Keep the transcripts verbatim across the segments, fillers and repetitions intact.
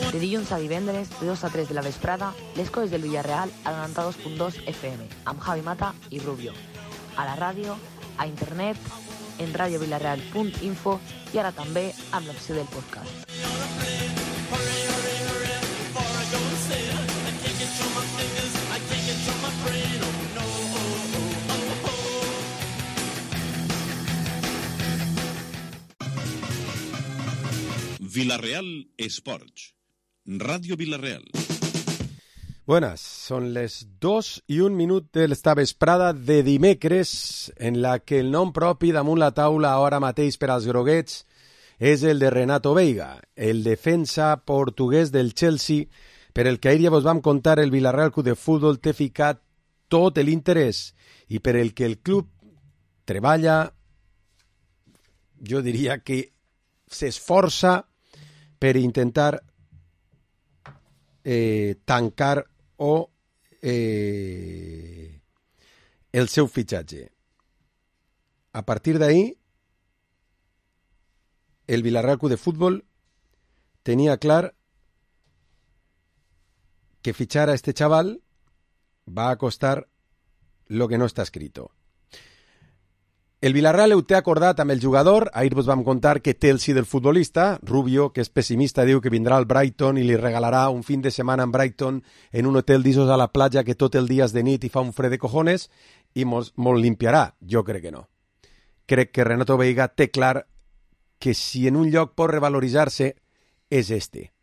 De dilluns a divendres, de dos a tres de la vesprada, les coses del Villarreal a noranta-dos punt dos F M, amb Javi Mata i Rubio. A la ràdio, a internet, en radio villarreal punt info i ara també amb l'opció del podcast. Villarreal Sports, Radio Villarreal. Buenas, son les dos i un minut de l'esta vesprada de dimecres en la que el nom propi damunt la taula ara mateix per als groguets és el de Renato Veiga, el defensa portuguès del Chelsea, per el que ahir ja vos vam contar el Villarreal Club de Futbol té ficat tot l'interès i per el que el club treballa, jo diria que s'esforça per intentar eh, tancar o eh, el seu fitxatge. A partir d'ahí, el Villarreal Club de Futbol tenia clar que fichar a este chaval va a costar lo que no está escrito. El Villarreal ho té acordat amb el jugador. Ahir vos vam contar que té el sí del futbolista. Rubio, que és pessimista, diu que vindrà al Brighton i li regalarà un fin de setmana en Brighton en un hotel d'Isos a la platja que tot el dia és de nit i fa un fred de cojones i mos, mos limpiarà. Jo crec que no. Crec que Renato Veiga té clar que si en un lloc pot revaloritzar-se és este.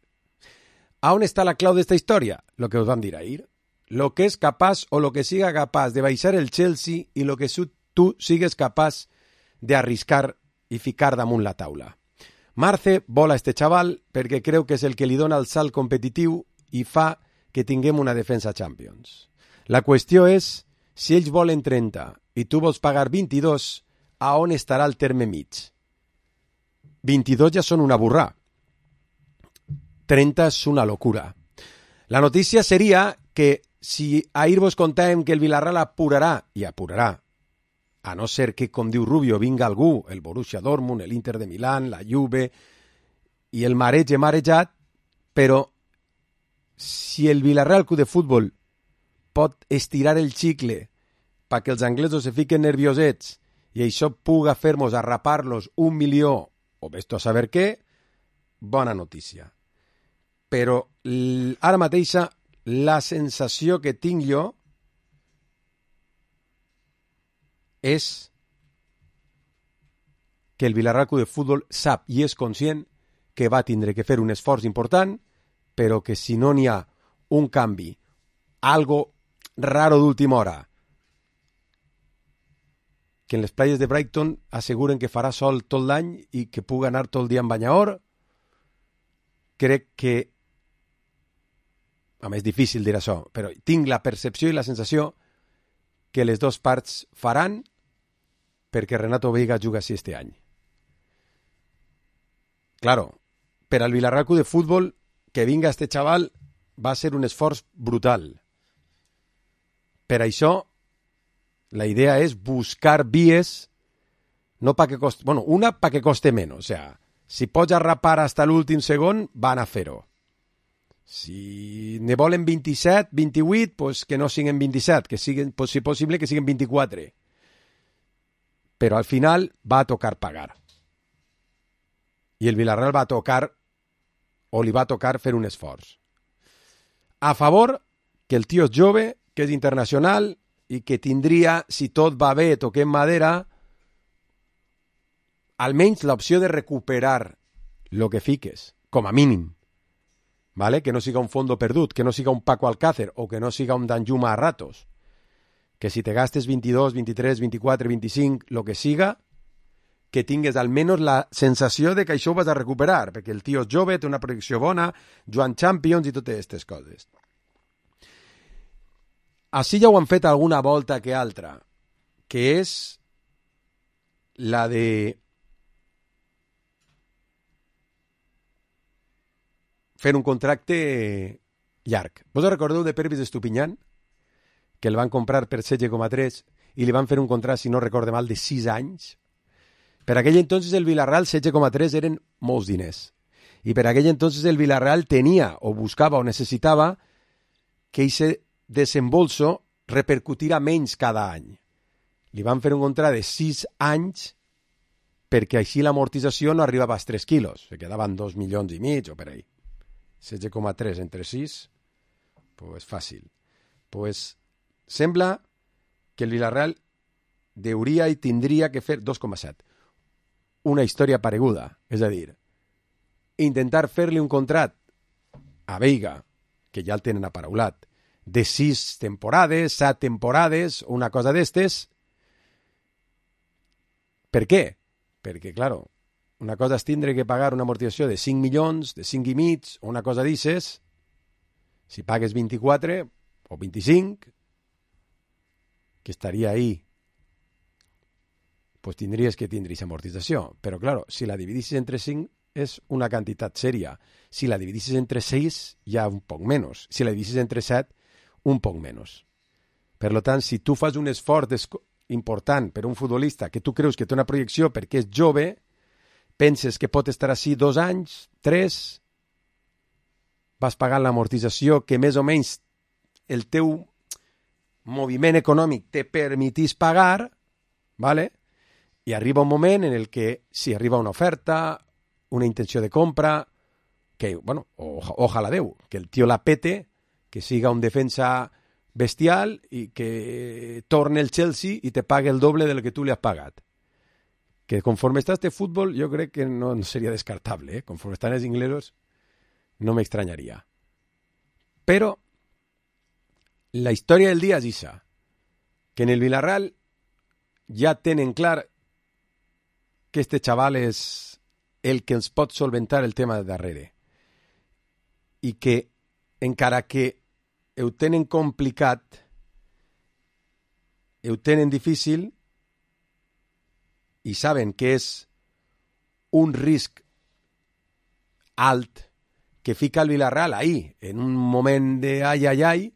A on està la clau d'esta història? Lo que us vam dir ahir. Lo que és capaç o lo que siga capaç de baixar el Chelsea i lo que su tu sigues capaç d'arriscar i ficar damunt la taula. Marce vol a este xaval perquè creu que és el que li dona el salt competitiu i fa que tinguem una defensa Champions. La qüestió és, si ells volen trenta i tu vols pagar vint-i-dos, a on estarà el terme mig? vint-i-dos ja són una burrà. trenta és una locura. La notícia seria que si ahir vos contàvem que el Villarreal apurarà, i apurarà, a no ser que, com diu Rubio, vinga algú, el Borussia Dortmund, l'Inter de Milán, la Juve, i el marege marejat, però si el Villarreal Club de Futbol pot estirar el xicle perquè els anglesos se fiquen nerviosets i això puga fer-nos arrapar-los un milió o vés-tu a saber què, bona notícia. Però ara mateixa la sensació que tinc jo és que el Villarreal Club de Futbol sap i és conscient que va tindre que fer un esforç important, però que si no n'hi ha un canvi, algo raro d'última hora, que en les playes de Brighton asseguren que farà sol tot l'any i que puga anar tot el dia en banyaor, crec que, a més, és difícil dir això, però tinc la percepció i la sensació que les dues parts faran perquè Renato Veiga juga així este any. Claro, per al Villarreal Club de Futbol que vinga este xaval va ser un esforç brutal. Per això, la idea és buscar vies, no pa que coste, bueno, una pa que coste menos, o sea, si pots arrapar hasta l'últim segon, van a fer-ho. Si ne volen vint-i-set, vint-i-vuit, pues que no siguin vint-i-set, que siguin, pues, si possible, que siguin vint-i-quatre. Però al final va a tocar pagar. I el Villarreal va a tocar, o li va a tocar fer un esforç. A favor que el tio és jove, que és internacional i que tindria, si tot va bé, toquem madera, almenys l'opció de recuperar lo que fiques, com a mínim. ¿Vale? Que no siga un fondo perdut, que no siga un Paco Alcácer o que no siga un Danjuma a ratos. Que si te gastes vint-i-dos, vint-i-tres, vint-i-quatre, vint-i-cinc, lo que siga, que tingues almenys la sensació de que això ho vas a recuperar, perquè el tio és jove, té una projecció bona, Joan Champions i totes aquestes coses. Així ja ho han fet alguna volta que altra, que és la de fer un contracte llarg. Vos recordeu de Pervis Estupiñán? Que el van comprar per setze coma tres i li van fer un contracte, si no recorde mal, de sis anys. Per aquell entonces el Villarreal setze coma tres eren molts diners. Y per aquell entonces el Villarreal tenía, o buscava, o necessitava que ese desembolso repercutira menys cada any. Li van fer un contrat de sis anys perquè així l'amortització no arribava als tres quilos. Se quedaven dos milions i mig o per ahí. setze coma tres entre sis, pues fàcil. Pues sembla que el Villarreal deuria i tindria que fer dos coma set. Una història pareguda, és a dir, intentar fer-li un contrat a Veiga, que ja el tenen aparaulat, de sis temporades, set temporades, una cosa d'estes. Per què? Perquè, claro, una cosa és tindre que pagar una amortització de cinc milions, de cinc i mig, o una cosa d'ixes. Si pagues vint-i-quatre o vint-i-cinc, que estaria ahí, pues tindries que tindre aquesta amortització. Però, claro, si la dividissis entre cinc, és una quantitat sèria. Si la dividissis entre sis, ja un poc menys. Si la dividissis entre set, un poc menys. Per tant, si tu fas un esforç important per un futbolista que tu creus que té una projecció perquè és jove, penses que pot estar així dos anys, tres, vas pagant l'amortització que més o menys el teu moviment econòmic te permetís pagar, ¿vale? I arriba un moment en el que si arriba una oferta, una intenció de compra, que, bueno, o, ojalà Déu, que el tio la pete, que siga un defensa bestial i que torne el Chelsea i te pague el doble del que tu li has pagat. Que conforme està este fútbol, jo crec que no seria descartable, ¿eh? Conforme estan els inglesos, no m'extranyaria. Però la història del dia és ixa, que en el Villarreal ja tenen clar que este xaval és el que ens pot solventar el tema de darrere. I que, encara que ho tenen complicat, ho tenen difícil, i saben que és un risc alt que fica el Villarreal ahí, en un moment de ai, ai, ai,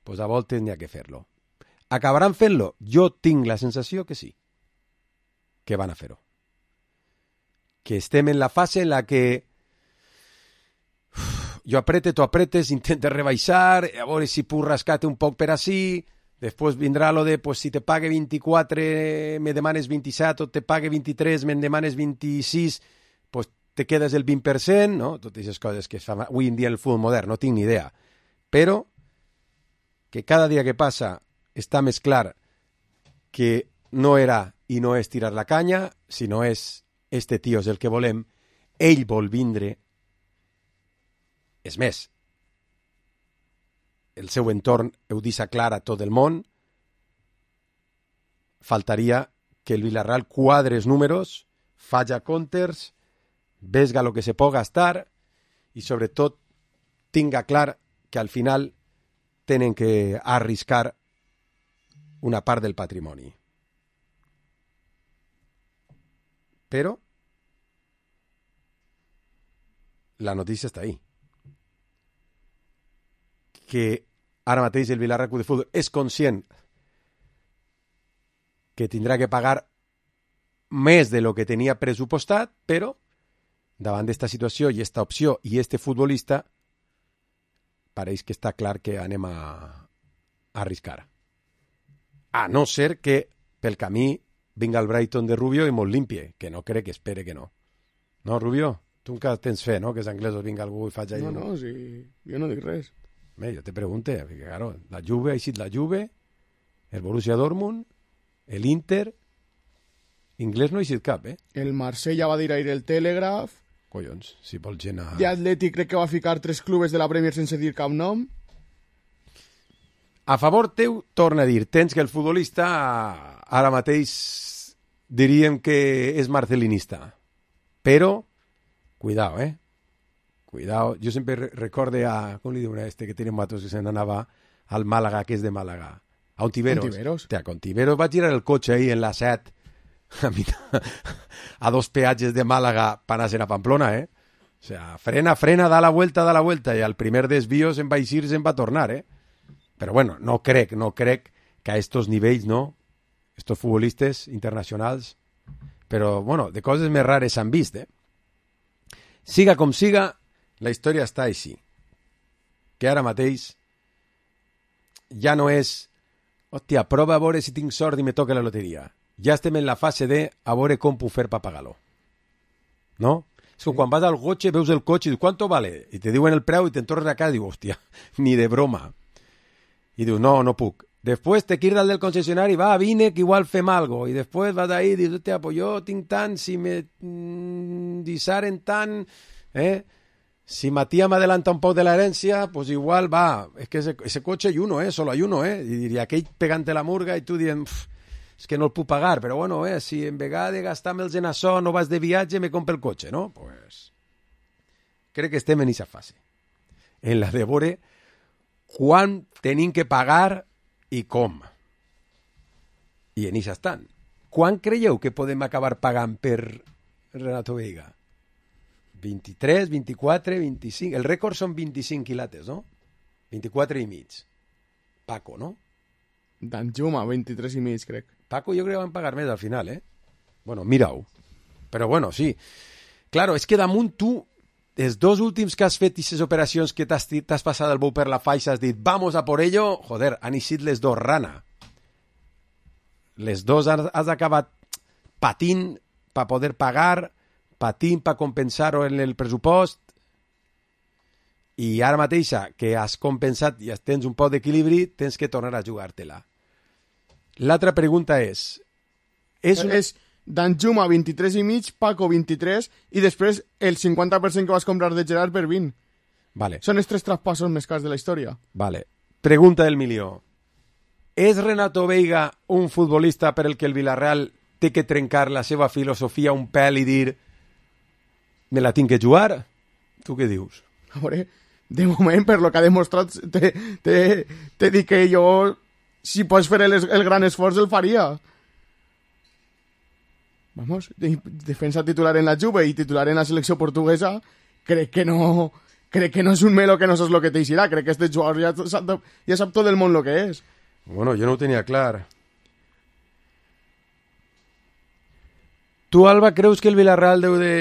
pues a voltes n'hi ha que fer-lo. Acabaran fent-lo? Jo tinc la sensació que sí, que van a fer-ho. Que estem en la fase en la que uf, jo aprete, tu apretes, intentes rebaixar, a veure si puc rascar-te un poc per ací, després vindrà lo de, pues, si te pague vint-i-quatre, me demanes vint-i-set, o te pague vint-i-tres, me demanes vint-i-sis, pues te quedes el vint per cent, no? Totes aquestes coses que es fan avui en dia en el futbol modern, no tinc ni idea. Però que cada dia que passa està més clar que no era i no és tirar la canya, sinó és este tio és el que volem, ell vol vindre. És més, el seu entorn ho deixa clar a tot el món. Faltaria que el Villarreal quadre els números, faja comptes, vesga el que se pot gastar i sobretot tinga clar que al final tenen que arriscar una part del patrimoni. Però la notícia està ahí. Que ara mateix el Villarreal Club de Futbol és conscient que tindrà que pagar més de lo que tenia pressupostat, però davant d'esta situació i esta opció i este futbolista pareix que està clar que anem a, a arriscar. A no ser que pel camí vinga el Brighton de Rubio i molt limpie, que no crec que espere que no. No, Rubio? Tu encara tens fe, no?, que els anglesos vinga algú i faci... No, no, sí, jo no dic res. Bé, jo te pregunte, perquè, claro, la Juve ha eixit la Juve, el Borussia Dortmund, el Inter, inglès no ha eixit cap, eh? El Marsella va dir ahir el Telegraph. Collons, si vols gent a... De Atlètic crec que va ficar tres clubes de la Premier sense dir cap nom. A favor teu, torna a dir, tens que el futbolista ara mateix diríem que és marcelinista. Però, cuidao, eh? Cuidao. Jo sempre recorde a... Com li diuen a este que tiene matos que se n'anava al Màlaga, que és de Màlaga? A Ontiveros. Ontiveros. Hòstia, a Ontiveros va girar el cotxe ahí en la set a, a dos peatges de Màlaga per anar a Pamplona, eh? O sea, frena, frena, da la vuelta, da la vuelta, i al primer desvío se'n va eixir, se'n va tornar, eh? Però bueno, no crec, no crec que a estos nivells, no? Estos futbolistes internacionals, però bueno, de coses més rares s'han vist, eh? Siga com siga, la història està així. Que ara mateix ja no és, hòstia, prova a veure si tinc sort i me toca la loteria. Ja estem en la fase de a veure com puc fer per pagar-lo. No? És que quan vas al cotxe, veus el cotxe i dius, ¿cuánto vale? I te diuen el preu i te'n tornes a casa i dius, hòstia, ni de broma. I dius, no, no puc. Després te quirs del concessionari, va, vine, que igual fem algo. I després vas ahí i dius, hòstia, pues jo tinc tant, si me mm, disaren tant, eh? Si Matías me adelanta un poc de la herencia, pues igual va. Es que ese, ese coche hay uno, eh? Solo hay uno, eh? I diria, aquell pegante la murga i tu dient, és que no el puc pagar, però bueno, eh? Si en vegada de gastar-me'ls en això no vas de viatge, me compre el cotxe, no? Pues crec que estem en aquesta fase. En la de veure quan tenim que pagar i com. I en això estan. Quan creieu que podem acabar pagant per Renato Veiga? vint-i-tres, vint-i-quatre, vint-i-cinc... El rècord són vint-i-cinc quilates, no? vint-i-quatre i mig. Paco, no? Danjuma, vint-i-tres i mig, crec. Paco jo crec que van pagar més al final, eh? Bueno, mira-ho. Però bueno, sí. Claro, és que damunt tu, els dos últims que has fet aquestes operacions que t'has, t'has passat el bou per la faixa, has dit, vamos a por ello, joder, han eixit les dos rana. Les dos has, has acabat patint per poder pagar, patint per compensar-ho en el pressupost, i ara mateixa que has compensat i tens un poc d'equilibri, tens que tornar a jugar-te-la. L'altra pregunta és... És, una... és Danjuma vint-i-tres i mig, Paco vint-i-tres, i després el cinquanta per cent que vas comprar de Gerard per vint. Vale. Són els tres traspassos més cars de la història. Vale. Pregunta del milió. És Renato Veiga un futbolista per el que el Villarreal té que trencar la seva filosofia un pèl i dir me la tinc que jugar? Tu què dius? A veure, de moment, per lo que ha demostrat, te, te, te dic que jo, si pots fer el, el gran esforç, el faria. Vamos, de, defensa titular en la Juve i titular en la selecció portuguesa, crec que no, crec que no és un melo que no saps lo que t'eixirà, crec que este jugador ja sap, ja sap tot el món lo que és. Bueno, jo no ho tenia clar. Tu, Alba, creus que el Villarreal deu de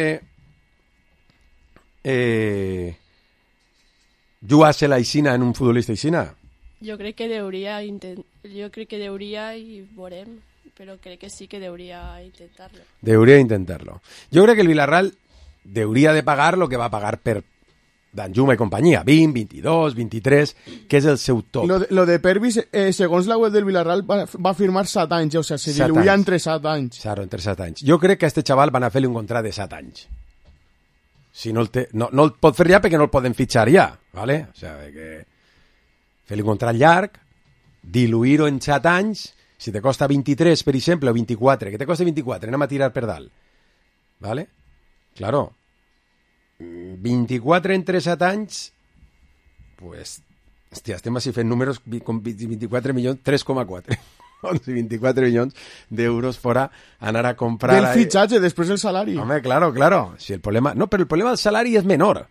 eh, jugar-se la Ixina en un futbolista Ixina? Jo crec que deuria intent... jo crec que deuria i veurem, però crec que sí que deuria intentar-lo. Deuria intentar-lo. Jo crec que el Villarreal deuria de pagar lo que va pagar per Danjuma i companyia, vint, vint-i-dos, vint-i-tres, que és el seu top. Lo de, lo de Pervis, eh, segons la web del Villarreal, va, va firmar set anys, o sigui, se diluïa entre set anys. Claro, entre set anys. Jo crec que a este xaval van a fer-li un contrat de set anys. Si no el, té, no, no el pot fer ja perquè no el poden fitxar ja, ¿vale? O sea, que fer-li un contrat llarg, diluir-ho en set anys, si te costa vint-i-tres, per exemple, o vint-i-quatre, que te costa vint-i-quatre, anem a tirar per dalt, ¿vale? Claro, vint-i-quatre entre set anys, pues, hòstia, estem així fent números con vint-i-quatre milions, tres coma quatre. vint-i-quatre milions d'euros fora anar a comprar... Del fitxatge, després el salari. Home, claro, claro. Si el problema... No, però el problema del salari és menor.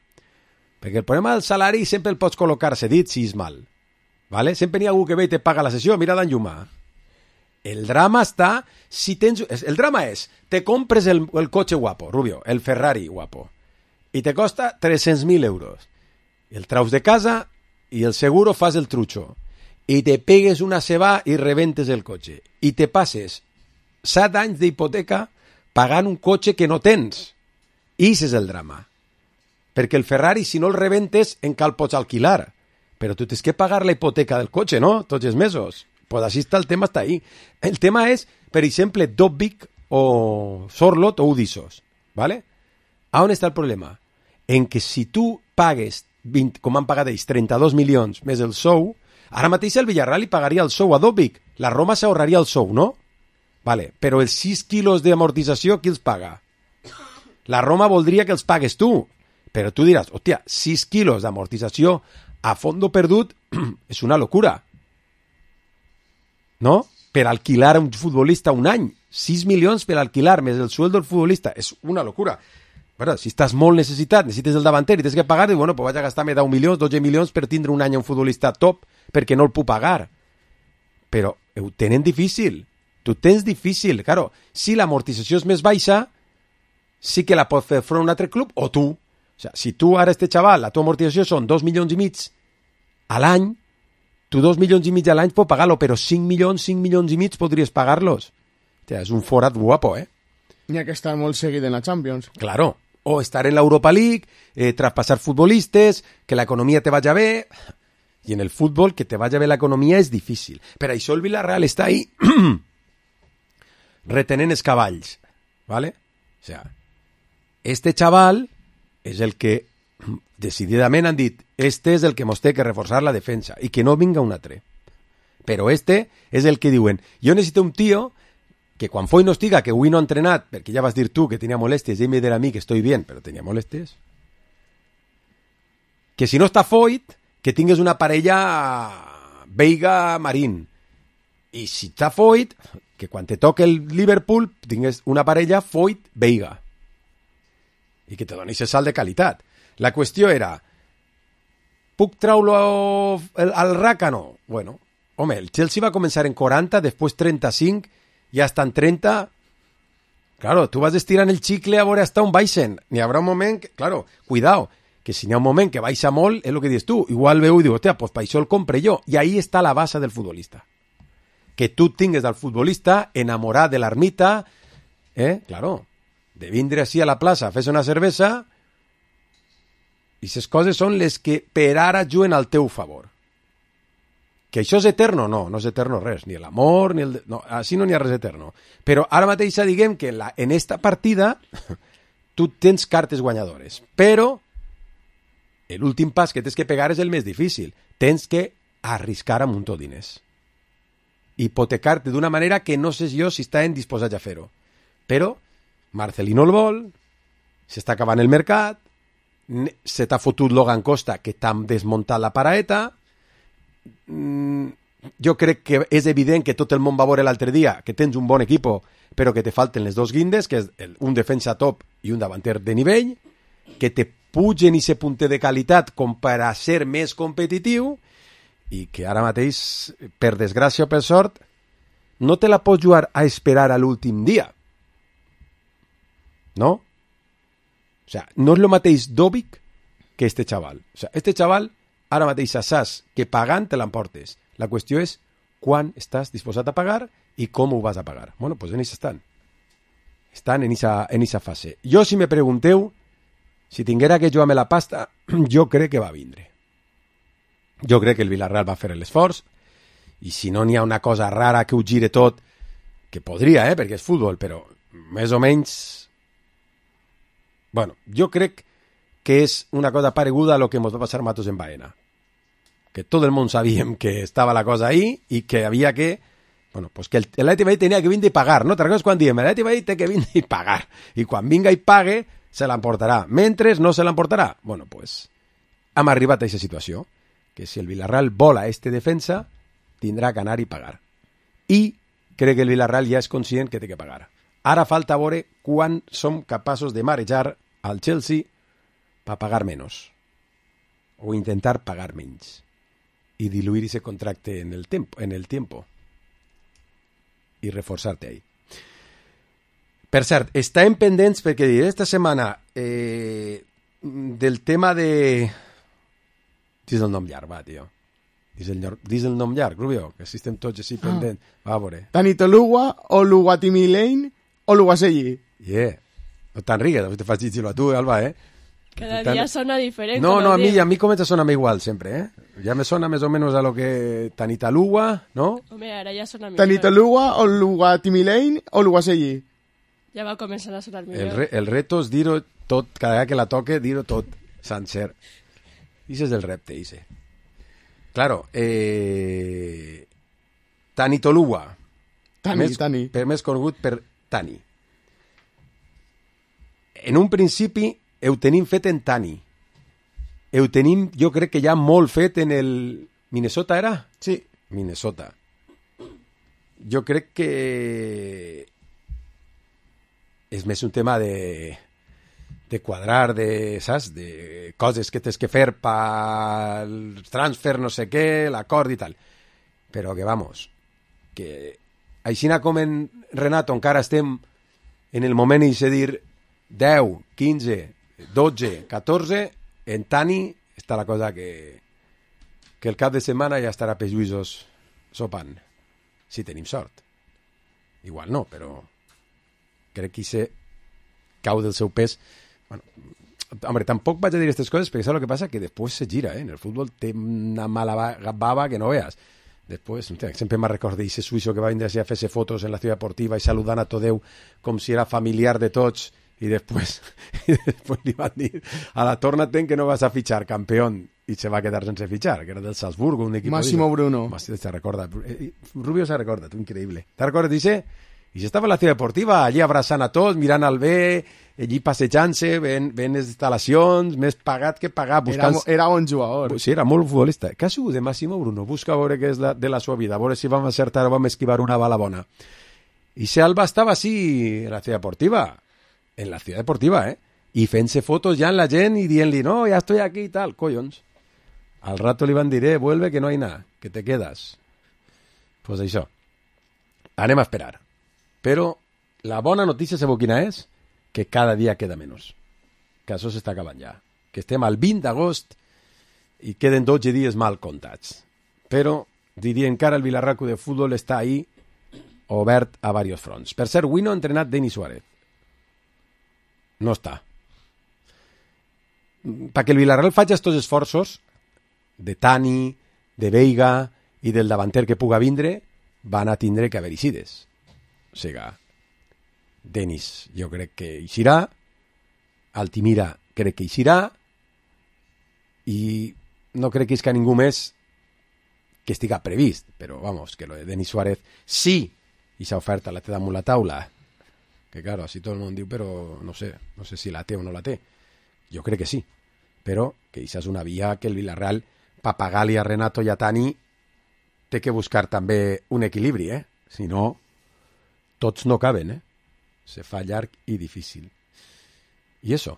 Perquè el problema del salari sempre el pots col·locar cedit si és mal. ¿Vale? Sempre hi ha algú que ve i te paga la sessió. Mira Danjuma. El drama està... Si tens... El drama és, te compres el, el cotxe guapo, Rubio, el Ferrari guapo, i te costa tres-cents mil euros. El traus de casa i el seguro fas el trucho. I te pegues una ceba i rebentes el cotxe. I te passes set anys d'hipoteca pagant un cotxe que no tens. I és el drama. Perquè el Ferrari, si no el rebentes, encara el pots alquilar. Però tu tens que pagar la hipoteca del cotxe, no? Tots els mesos. Pues així està, el tema està ahí. El tema és, per exemple, Dobbik o Sorlot o Udisos. ¿Vale? A on està el problema? En que si tu pagues, vint, com han pagat ells, trenta-dos milions més el sou, ara mateix el Villarreal li pagaria el sou a Dobbik. La Roma s'ahorraria el sou, no? Vale, però els sis quilos d'amortització, qui els paga? La Roma voldria que els pagues tu. Però tu diràs, hòstia, sis quilos d'amortització a fondo perdut és una locura. No? Per alquilar a un futbolista un any. sis milions per alquilar més el sueldo del futbolista. És una locura. Bueno, si estàs molt necessitat, necessites el davanter i tens que pagar, bueno, pues vaig a gastar-me deu milions, dotze milions per tindre un any a un futbolista top perquè no el puc pagar. Però ho tenen difícil. Tu tens difícil. Claro, si l'amortització és més baixa, sí que la pot fer front un altre club o tu. O sea, si tu ara este xaval, la tua amortització són dos milions i mig a l'any, tu dos milions i mig a l'any pot pagar-lo, però cinc milions, cinc milions i mig podries pagar-los. O sea, és un forat guapo, eh? N'hi ha que estar molt seguit en la Champions. Claro. O estar en l'Europa League, eh, traspasar futbolistes, que l'economia te vaya bé. I en el futbol, que te vaya bé l'economia és difícil. Per això el Villarreal està ahí retenent els cavalls. ¿Vale? O sea, este chaval és el que decididament han dit este és el que mos té que reforçar la defensa i que no vinga un altre. Però este és el que diuen jo necessito un tio que quan Foyt no estiga, que avui no ha entrenat, perquè ja vas dir tu que tenia molèsties, i ell me dirà a mi que estoy bien, però tenia molèsties, que si no està Foyt, que tingues una parella Veiga-Marín. I si està Foyt, que quan te toque el Liverpool tingues una parella Foyt-Veiga. I que te doni ese salt de qualitat. La qüestió era, puc traure al, al Rácano? Bueno, home, el Chelsea va començar en quaranta, després trenta-cinc, i hasta en trenta... Claro, tu vas estirant el xicle a veure hasta on baixen. N'hi haurà un moment que, claro, cuidao, que si n'hi ha un moment que baixa molt, és el que dius tu. Igual veu i diu, hòstia, pues per això el compre jo. I ahí està la base del futbolista. Que tu tingues del futbolista enamorat de l'ermita, eh? Claro, de vindre així a la plaça, fes una cervesa, i aquestes coses són les que per ara juguen al teu favor. Que això és eterno? No, no és eterno res, ni l'amor, ni el... No, així no n'hi ha res eterno. Però ara mateix diguem que en, la, en esta partida tu tens cartes guanyadores, però l'últim pas que tens que pegar és el més difícil. Tens que arriscar a muntó diners. Hipotecar-te d'una manera que no sé jo si estan disposats a fer-ho. Però Marcelino el vol, s'està acabant el mercat, se t'ha fotut Logan Costa, que t'ha desmuntat la paraeta. Mm, jo crec que és evident que tot el món va veure l'altre dia que tens un bon equip, però que te falten les dos guindes, que és el, un defensa top i un davanter de nivell, que te pugen i se punte de qualitat com per a ser més competitiu, i que ara mateix, per desgràcia o per sort, no te la pots jugar a esperar a l'últim dia. ¿No? O sea, no és el mateix Dobic que este xaval. O sea, este xaval, ara mateix saps que pagant te l'emportes. La qüestió és quan estàs disposat a pagar i com ho vas a pagar. Bueno, pues en això estan. Estan en esa, en esa fase. Jo, si me pregunteu, si tinguera que jugar-me la pasta, jo crec que va vindre. Jo crec que el Villarreal va fer l'esforç, i si no n'hi ha una cosa rara que ho gire tot, que podria, eh, perquè és futbol, però més o menys... Bueno, jo crec que és una cosa pareguda a lo que ens va passar a Matos en Baena. Que tot el món sabíem que estava la cosa ahí i que havia que... Bueno, pues que l'Atleti Madrid tenia que vindre i pagar, no? Te recordes quan diem, l'Atleti Madrid té que vindre i pagar. I quan vinga i pague, se l'emportarà. Mentre no se l'emportarà. Bueno, pues hem arribat a aquesta situació. Que si el Villarreal vola este defensa, tindrà que anar i pagar. I crec que el Villarreal ja és conscient que té que pagar. Ara falta veure quan som capaços de marejar al Chelsea per pagar menys. O intentar pagar menys. I diluir ese contracte en el tiempo, en el tiempo. I reforçar-te ahí. Per cert, estàvem pendents perquè esta setmana eh, del tema de... Dis el nom llarg, va, tio. Dis el, dis el nom llarg, Rubio, que si estem tots així pendents. Ah. Va, a veure. Tanitolugua, Oluwatimilein, Oluwaseyi. Yeah. No te'n rigues, te fas dir-lo a tu, Alba, eh? Cada Tan... día sona diferente. No, no, a mí, a mí comença a sonar igual sempre, eh? Ya me sona més o menos a lo que Tanitalugua, ¿no? Home, ara ja sona millor. Tanitalugua, Oluwatimilein, Oluwaseyi. Ja va començar a sonar millor. El, re, el reto és dir-ho tot, cada vegada que la toque, dir-ho tot, sencer. Ese és el repte, ese. Claro, eh... Tanitolugua. Tani, més, Tani. Per més conegut per Tani. En un principi ho tenim fet en Tani. Ho tenim, jo crec que ja molt fet en el... Minnesota era? Sí. Minnesota. Jo crec que és més un tema de, de quadrar, de, saps? De coses que tens que fer pel transfer, no sé què, l'acord i tal. Però que, vamos, que així com en Renato encara estem en el moment i se dir deu, quinze, dotze, catorze, en Tani està la cosa que, que el cap de setmana ja estarà per Lluïsos sopant, si tenim sort. Igual no, però crec que se cau del seu pes. Bueno, hombre, tampoc vaig a dir aquestes coses perquè saps el que passa? Que després se gira, eh? En el futbol té una mala baba que no veas. Després, sempre me'n recordo d'aquest suïsso que va vindre a fer-se fotos en la ciutat deportiva i saludant a tot Déu com si era familiar de tots i després, i després li van dir a la torna-te'n que no vas a fitxar, campeón, i se va quedar sense fitxar, que era del Salzburgo, un equip... Massimo Bruno. Te recorda. Rubio se recorda, tu, increïble. Te recordes, dice? I estava en la ciutat deportiva, allí abraçant a tots, mirant al bé, allí passejant-se, ven, ven les instal·lacions, més pagat que pagar. Buscant... Era, era un jugador. Sí, era molt futbolista. Què ha sigut de Massimo Bruno? Busca a veure què és la, de la seva vida, a veure si vam acertar o vam esquivar una bala bona. I si Alba estava així en la ciutat deportiva, en la ciutat deportiva, eh? I fent-se fotos ja en la gent i dient-li, no, ja estoy aquí i tal, collons. Al rato li van dir, eh, vuelve que no hay nada, que te quedas. Pues això. Anem a esperar. Però la bona notícia, sabeu quina és? Que cada dia queda menys. Que això s'està acabant ja. Que estem al vint d'agost i queden dotze dies mal comptats. Però diria encara el Villarreal de futbol està ahí obert a diversos fronts. Per cert, avui no ha entrenat Denis Suárez. No està. Perquè el Villarreal faci aquests esforços de Tani, de Veiga i del davanter que puga vindre, van a tindre que haver ixides. O sigui, Denis jo crec que eixirà, Altimira crec que eixirà, i no crec que és que ningú més que estiga previst, però vamos, que lo de Denis Suárez sí, i s'ha oferta la té damunt la taula, que claro, així tot el món diu, però no sé, no sé si la té o no la té, jo crec que sí, però que això és una via que el Villarreal, per pagar-li a Renato i a Tani, té que buscar també un equilibri, eh? Si no, tots no caben, eh? Se fa llarg i difícil. I això,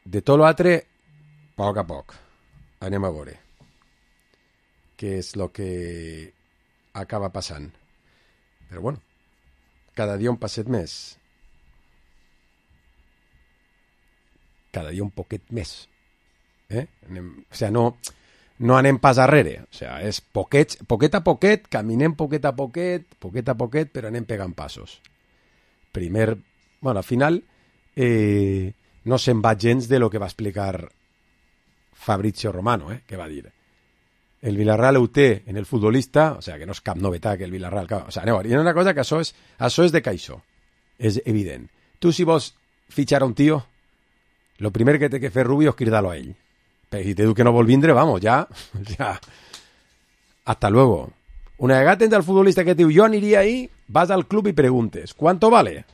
de tot l'altre, a poc a poc, anem a veure què és el que acaba passant. Però bueno, cada dia un passet més. Cada dia un poquet més. Eh? Anem, o sigui, no, no anem pas arrere. O sigui, és poquet, poquet a poquet, caminem poquet a poquet, poquet a poquet, però anem pegant passos. Primer, bueno, al final eh, no se'n va gens de lo que va explicar Fabrizio Romano, eh, que va dir el Villarreal ho té en el futbolista, o sigui, que no és cap novetat que el Villarreal... O sigui, aneu, hi ha una cosa que això és, això és de caixó, és evident. Tu, si vols fitxar a un tio, lo primer que té que fer Rubio és cridar-lo a ell. Però si te diu que no vol vindre, vamos, ja, ja, hasta luego. Una vegada tens el futbolista que diu, yo aniria ahí, vas al club y preguntes, ¿cuánto vale?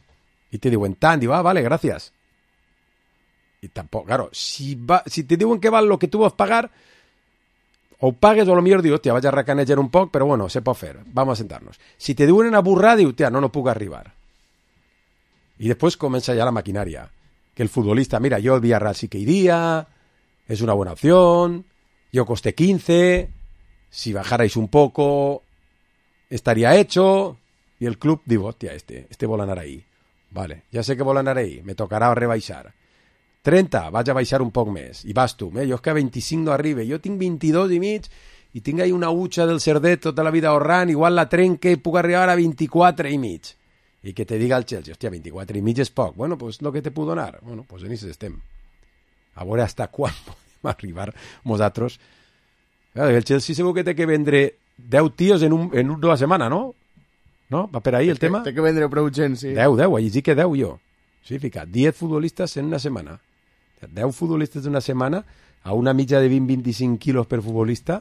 Y te diuen tant, diu, ah, vale, gracias. Y tampoco, claro, si, va, si te diuen que val lo que tu vols pagar, o pagues o a lo millor diu, hòstia, vaig a recanejar un poc, però bueno, se pot fer, vamos a sentar-nos. Si te diuen una burrada, diu, hòstia, no, no puc arribar. I després comença ja la maquinària, que el futbolista, mira, yo el Villarreal sí que iría, es una buena opción, yo costé quince, si bajarais un poco, estaría hecho, y el club diu, hòstia, este, este vol anar ahí. Vale, ja sé que vol anar ahí, me tocarà rebaixar. trenta, vaig a baixar un poc més. I vas tu, eh? Jo és que a vint-i-cinc no arribe, jo tinc vint-i-dos i mig, i tinc ahí una utxa del cerdet tota la vida ahorrant, igual la trenque i puc arribar a vint-i-quatre i mig. I que te diga el Chelsea, hòstia, vint-i-quatre i mig és poc. Bueno, pues lo que te puc donar. Bueno, pues en això estem. A veure hasta quan podem arribar nosaltres. El Chelsea segur que té que vendre deu tios en, un, en una setmana, no? No? Va per ahí el tema? Té que vendre prou gent, sí. deu, deu, allí sí que deu jo. Sí, fica, diez futbolistes en una setmana. deu futbolistes d'una setmana a una mitja de vint a vint-i-cinc quilos per futbolista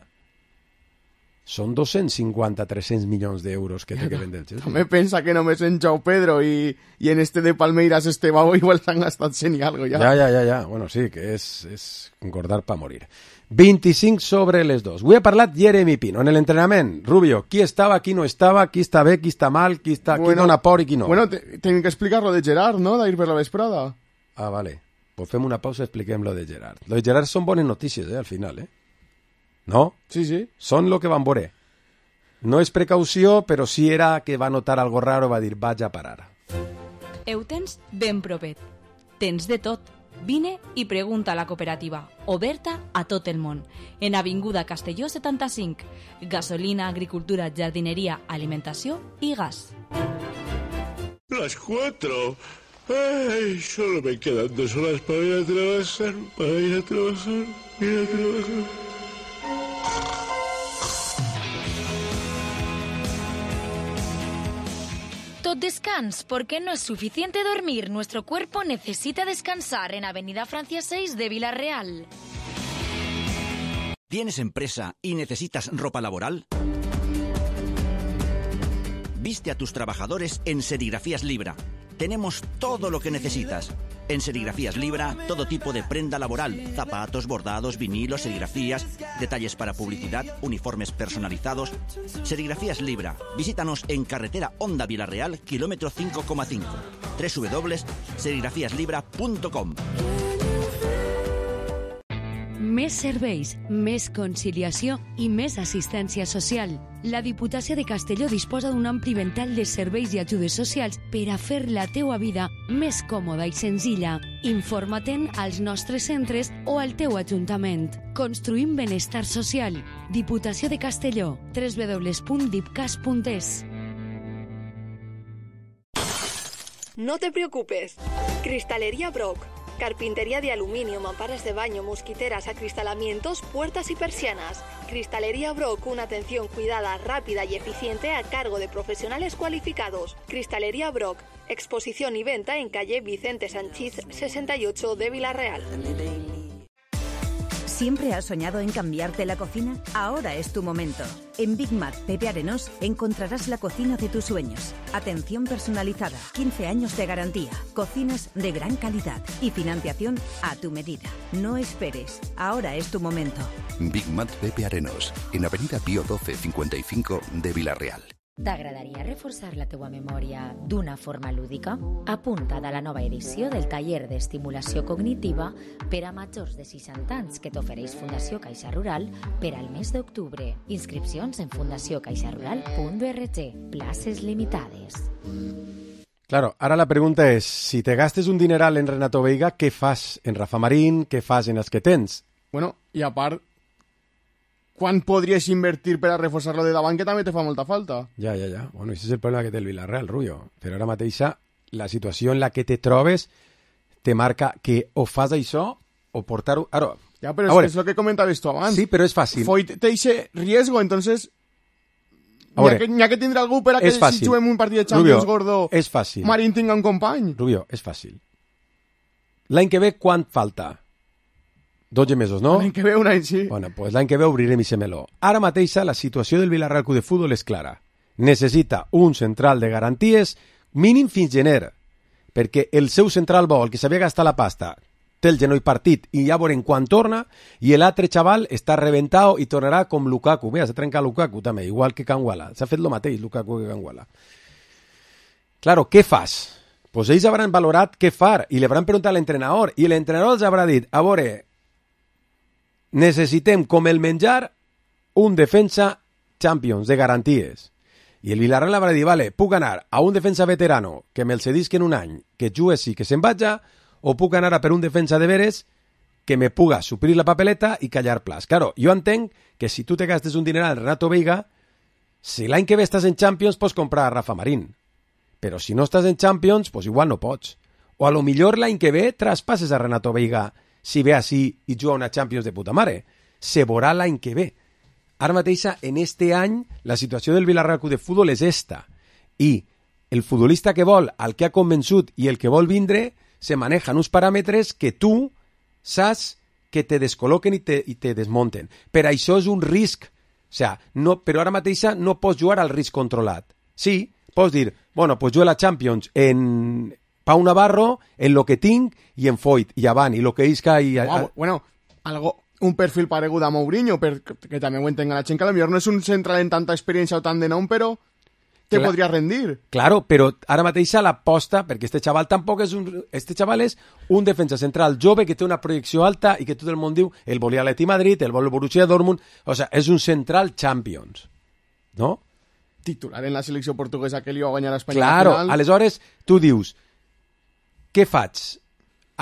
són dos-cents cinquanta a tres-cents milions d'euros que té que vendre el Chelsea. També pensa que només en Joao Pedro i, i en este de Palmeiras Estebao igual s'han gastat cent i algo ja. Ja, ja, ja, ja. Bueno, sí, que és, és engordar pa morir. vint-i-cinc sobre les dos. Avui ha parlat Jeremy Pino en l'entrenament. Rubio, qui estava, qui no estava, qui està bé, qui està mal, qui, està, bueno, qui dona por i qui no. Bueno, tenim que explicar lo de Gerard, no? D'ahir per la vesprada. Ah, vale. Pues fem una pausa i expliquem lo de Gerard. Lo de Gerard són bones notícies, eh, al final, eh? No? Sí, sí. Són lo que van veure. No és precaució, però sí era que va notar algo raro, va dir, vaig a parar. Ho tens ben propet. Tens de tot. Vine i pregunta a la cooperativa, oberta a tot el món. En Avinguda Castelló setanta-cinc. Gasolina, agricultura, jardineria, alimentació i gas. Las cuatro. Ay, solo me quedan dos horas para ir a trabajar, para ir a trabajar, ir a trabajar. Tot descans, porque no es suficiente dormir. Nuestro cuerpo necesita descansar en Avenida Francia seis de Villarreal. ¿Tienes empresa y necesitas ropa laboral? Viste a tus trabajadores en Serigrafías Libra. Tenemos todo lo que necesitas. En Serigrafías Libra, todo tipo de prenda laboral, zapatos, bordados, vinilos, serigrafías, detalles para publicidad, uniformes personalizados. Serigrafías Libra. Visítanos en carretera Honda Villarreal, kilómetro cinco coma cinco. doble u doble u doble u punt serigrafías libra punt com. Més serveis, més conciliació i més assistència social. La Diputació de Castelló disposa d'un ampli ventall de serveis i ajudes socials per a fer la teua vida més còmoda i senzilla. Informa-te'n als nostres centres o al teu ajuntament. Construïm benestar social. Diputació de Castelló. doble u doble u doble u punt dipcas punt es. No te preocupes. Cristalería Brock. Carpintería de aluminio, mamparas de baño, mosquiteras, acristalamientos, puertas y persianas. Cristalería Brock, una atención cuidada, rápida y eficiente a cargo de profesionales cualificados. Cristalería Brock, exposición y venta en calle Vicente Sanchís sesenta y ocho de Villarreal. ¿Siempre has soñado en cambiarte la cocina? Ahora es tu momento. En Big Mac Pepe Arenós encontrarás la cocina de tus sueños. Atención personalizada, quince años de garantía, cocinas de gran calidad y financiación a tu medida. No esperes, ahora es tu momento. Big Mac Pepe Arenós, en Avenida Pío doce cincuenta y cinco de Villarreal. T'agradaria reforçar la teua memòria d'una forma lúdica? Apunta't a la nova edició del taller d'estimulació cognitiva per a majors de seixanta anys que t'ofereix Fundació Caixa Rural per al mes d'octubre. Inscripcions en fundació caixa rural punt org. Places limitades. Claro, ahora la pregunta es, si te gastes un dineral en Renato Veiga, ¿qué fas en Rafa Marín? ¿Qué fas en els que tens? Bueno, i a part, quan podries invertir per a reforçar-lo de davant, que també te fa molta falta? Ja, ja, ja. Bueno, ese és el problema que té el Villarreal, Rubio. Però ara mateixa, la situació en la que te trobes te marca que o fas això o portar-ho... Ara, ja, però és, és el que comentaves tu abans. Sí, però és fàcil. Foyt té ese riesgo, entonces... N'hi ha, que, ha que tindre algú per a que si juguem un partit de Champions, Rubio, Gordo, és fàcil. Marín tinga un company. Rubio, és fàcil. L'any que ve, quant falta? dotze mesos, no? L'any que ve un any, sí. Bueno, pues l'any que ve obrirem i meló. Ara mateixa la situació del Villarreal Club de Futbol és clara. Necessita un central de garanties mínim fins gener, perquè el seu central bo, el que s'havia gastat la pasta, té el genoll partit i ja veurem quan torna, i l'altre xaval està reventat i tornarà com Lukaku. Mira, s'ha trencat Lukaku també, igual que Canguala. S'ha fet el mateix Lukaku que Canguala. Claro, què fas? Pues ells hauran valorat què far i li hauran preguntat a l'entrenador i l'entrenador els haurà dit, a veure, necessitem, com el menjar, un defensa Champions de garanties. I el Villarreal haurà dit, vale, puc anar a un defensa veterano que me'l cedisc en un any, que jugue sí, que se'n vaja, o puc anar a per un defensa de veres que me puga suplir la papeleta i callar plats. Claro, jo entenc que si tu te gastes un dineral en Renato Veiga, si l'any que ve estàs en Champions pots comprar a Rafa Marín. Però si no estàs en Champions, pues igual no pots. O a lo millor l'any que ve traspasses a Renato Veiga si ve així i juga una Champions de puta mare. Se veurà l'any que ve. Ara mateixa, en este any, la situació del Villarreal Club de Futbol és esta. I el futbolista que vol, el que ha convençut i el que vol vindre, se manejan uns paràmetres que tu saps que te descol·loquen i te, i te desmunten. Per això és un risc. O sea, no, però ara mateixa no pots jugar al risc controlat. Sí, pots dir, bueno, pues jo la Champions en Pau Navarro, en lo que tinc i en Foyt, i avant, i lo que isca i... Wow, bueno, algo, un perfil paregut a Mourinho, per, que també ho entenga la gent, que potser no és un central en tanta experiència o tant de nom, però te Clar, podria rendir. Claro, però ara mateixa l'aposta, perquè este xaval tampoc és un... Este xaval és un defensa central jove que té una projecció alta i que tot el món diu el volia l'Atleti Madrid, el vol el Borussia Dortmund... O sea, és un central Champions, no? Titular en la selecció portuguesa que li va guanyar a Espanya. Claro, aleshores tu dius, què faig?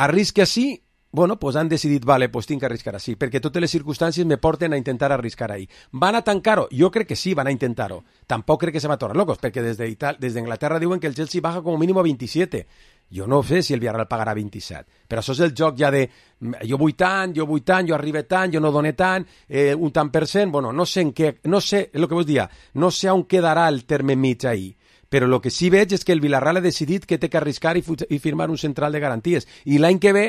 arrisca així, bueno, pues han decidit, vale, pues tinc que arriscar així, perquè totes les circumstàncies me porten a intentar arriscar ahí. ¿Van a tancar-ho? Jo crec que sí, van a intentar-ho. Tampoc crec que se va a tornar locos, perquè des d'Inglaterra diuen que el Chelsea baja com a mínim a veintisiete. Jo no sé si el Villarreal pagarà veintisiete, però això és el joc ja de jo vull tant, jo vull tant, jo arribe tant, jo no doné tant, eh, un tant per cent, bueno, no sé en què, no sé, és el que vos dia, no sé on quedarà el terme mig ahí, però el que sí veig és que el Villarreal ha decidit que té que arriscar i, i firmar un central de garanties, i l'any que ve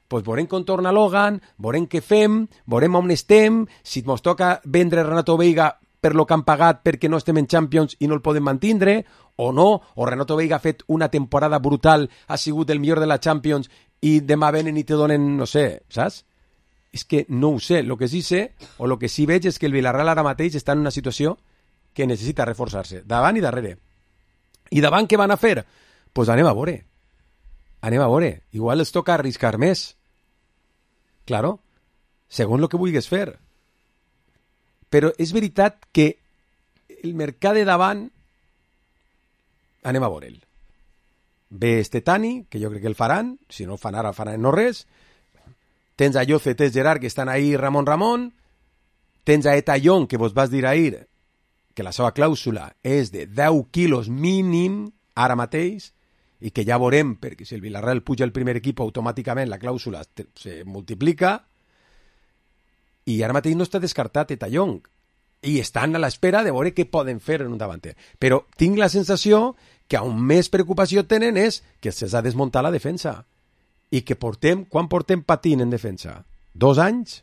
pues veurem com torna Logan, veurem què fem, veurem on estem, si ens toca vendre Renato Veiga per lo que han pagat perquè no estem en Champions i no el podem mantindre, o no, o Renato Veiga ha fet una temporada brutal, ha sigut el millor de la Champions i demà venen i te donen, no sé, saps? És que no ho sé, el que sí sé, o el que sí veig és que el Villarreal ara mateix està en una situació que necessita reforçar-se, davant i darrere. I davant què van a fer? Doncs pues anem a veure. Anem a veure. Igual els toca arriscar més. Claro, segons el que vulguis fer. Però és veritat que el mercat de davant anem a veure'l. Ve este Tani, que jo crec que el faran, si no el fan ara, faran no res. Tens a Lloce, tens Gerard, que estan ahí Ramon Ramon. Tens a Etallón, que vos vas dir ahir, que la seva clàusula és de deu quilos mínim ara mateix, i que ja veurem, perquè si el Villarreal puja el primer equip, automàticament la clàusula se multiplica, i ara mateix no està descartat Etallón, i estan a l'espera de veure què poden fer en un davanter. Però tinc la sensació que on més preocupació tenen és que se'ls ha desmuntat la defensa, i que portem, quan portem patint en defensa? Dos anys?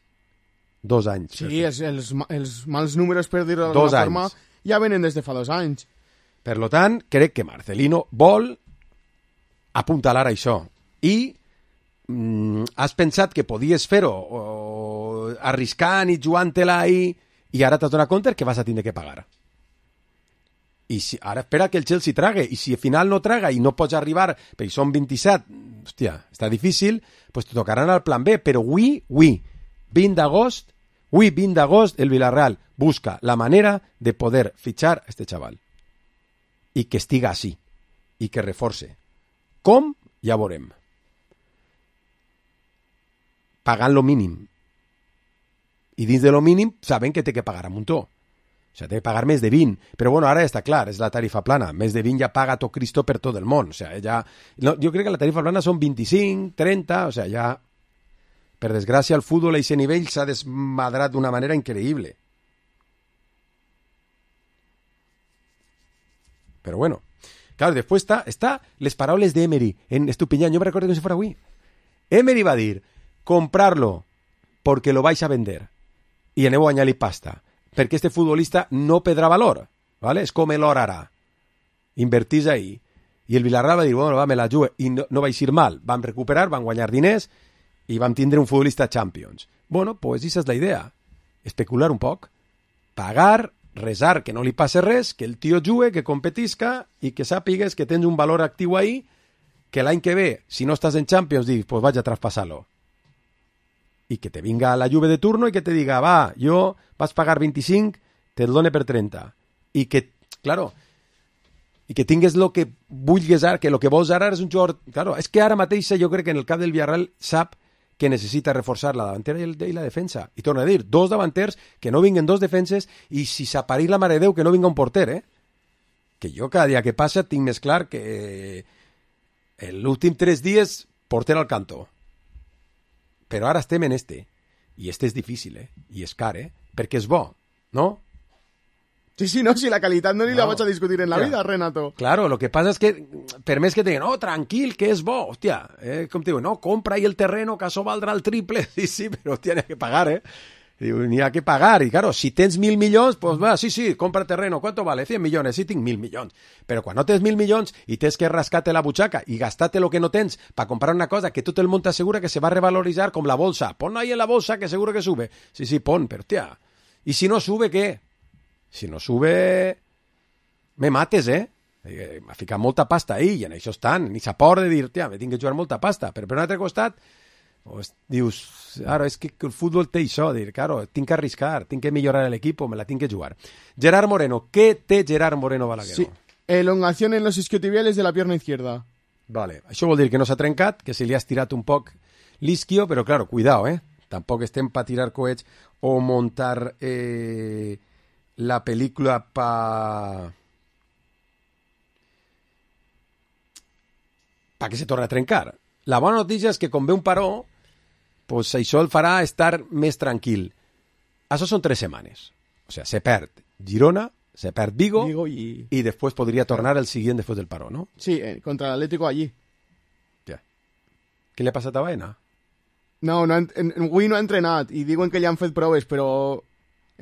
Dos anys. Sí, els, els, els mals números, per dir-ho d'alguna forma, ja venen des de fa dos anys. Per lo tant, crec que Marcelino vol apuntalar això. I mm, has pensat que podies fer-ho o, arriscant i jugant-te-la ahí, i ara t'has donat compte que vas a tindre que pagar. I si, ara espera que el Chelsea trague, i si al final no traga i no pots arribar, perquè són vint-i-set, hòstia, està difícil, pues te tocaran al plan B, però avui, avui, vint d'agost, avui vint d'agost, el Villarreal busca la manera de poder fitxar a este chaval. I que estiga així, i que reforce. Com? Ja veurem. Pagant lo mínim. I dins de lo mínim saben que té que pagar a muntó. O sigui, té que pagar més de vint. Però bueno, ara ja està clar, és la tarifa plana. Més de vint ja paga tot Cristo per tot el món. O sigui, ja... no, jo crec que la tarifa plana són vint-i-cinc, trenta, o sigui, ja... Per desgràcia, el futbol a aquest nivell s'ha desmadrat d'una manera increïble. Però bueno... Claro, después está, está les paraules de Emery en Estupiñán. Yo me recuerdo que si fuera avui. Emery va dir, comprarlo porque lo vais a vender y aneu a añadir pasta, perquè este futbolista no perdrà valor, ¿vale? És com l'or ara. Invertís ahí. I el Villarreal va dir, bueno, va, me la jugue. I no, no va ir mal. Vam recuperar, van guanyar diners i vam tindre un futbolista Champions. Bueno, pues esa és la idea. Especular un poc. Pagar, resar que no li passe res, que el tio jugue, que competisca i que sàpigues que tens un valor actiu ahí, que l'any que ve, si no estàs en Champions, dius, pues vaig a traspasar-lo. I que te vinga la Juve de turno i que te diga, va, jo vas pagar vint-i-cinc, te'l done per trenta. I que, claro, i que tingues lo que vulguis ara, que lo que vols ara és un jugador... Claro, és que ara mateix jo crec que en el cap del Villarreal sap que necessita reforçar la davantera i, el, i la defensa. I torno a dir, dos davanters, que no vinguen dos defenses, i si s'aparís la mare de Déu, que no vinga un porter, eh? Que jo cada dia que passa tinc més clar que l'últim tres dies porter al cantó. Però ara estem en este. I este és difícil, eh? I és car, eh? Perquè és bo, no? Sí, sí, no, si la qualitat no ni no. la vaig a discutir en la Hòstia. vida, Renato. Claro, lo que pasa es que, per més que te digan, no, tranquil, que és bo, hòstia, eh, com te digo, no, compra ahí el terreno, que això valdrà el triple, sí, sí, però hòstia, n'hi ha que pagar, eh? Digo, n'hi ha que pagar, y claro, si tens mil milions, pues va, sí, sí, compra terreno, ¿cuánto vale? cien millones, sí, tinc mil milions. Però quan no tens mil milions i tens que rascar-te la butxaca i gastar-te lo que no tens para comprar una cosa que tot el món t'assegura que se va a revalorizar com la bolsa, pon ahí en la bolsa que seguro que sube. Sí, sí, pon, però hòstia, i si no sube, què? Si no sube, me mates, eh? M'ha ficat molta pasta ahí, i en això estan, ni s'apor de dir, tia, me tinc que jugar molta pasta, però per un altre costat, pues, dius, claro, és que el futbol té això, dir, claro, tinc que arriscar, tinc que millorar l'equip, me la tinc que jugar. Gerard Moreno, què té Gerard Moreno Balaguer? Sí, elongación en los isquiotibiales de la pierna izquierda. Vale, això vol dir que no s'ha trencat, que se li ha estirat un poc l'isquio, però, claro, cuidao, eh? Tampoc estem per tirar coets o montar eh, la pel·lícula pa... pa que se torni a trencar. La bona notícia és que com ve un paró, pues això el farà estar més tranquil. Això són tres setmanes. O sea, se perd Girona, se perd Vigo, Vigo y... y después podría tornar el siguiente después del paro, ¿no? Sí, eh, contra el Atlético allí. Ja. Què li ha passat a Baena? No, no en, en, avui no ha entrenat i diuen que ja han fet proves, però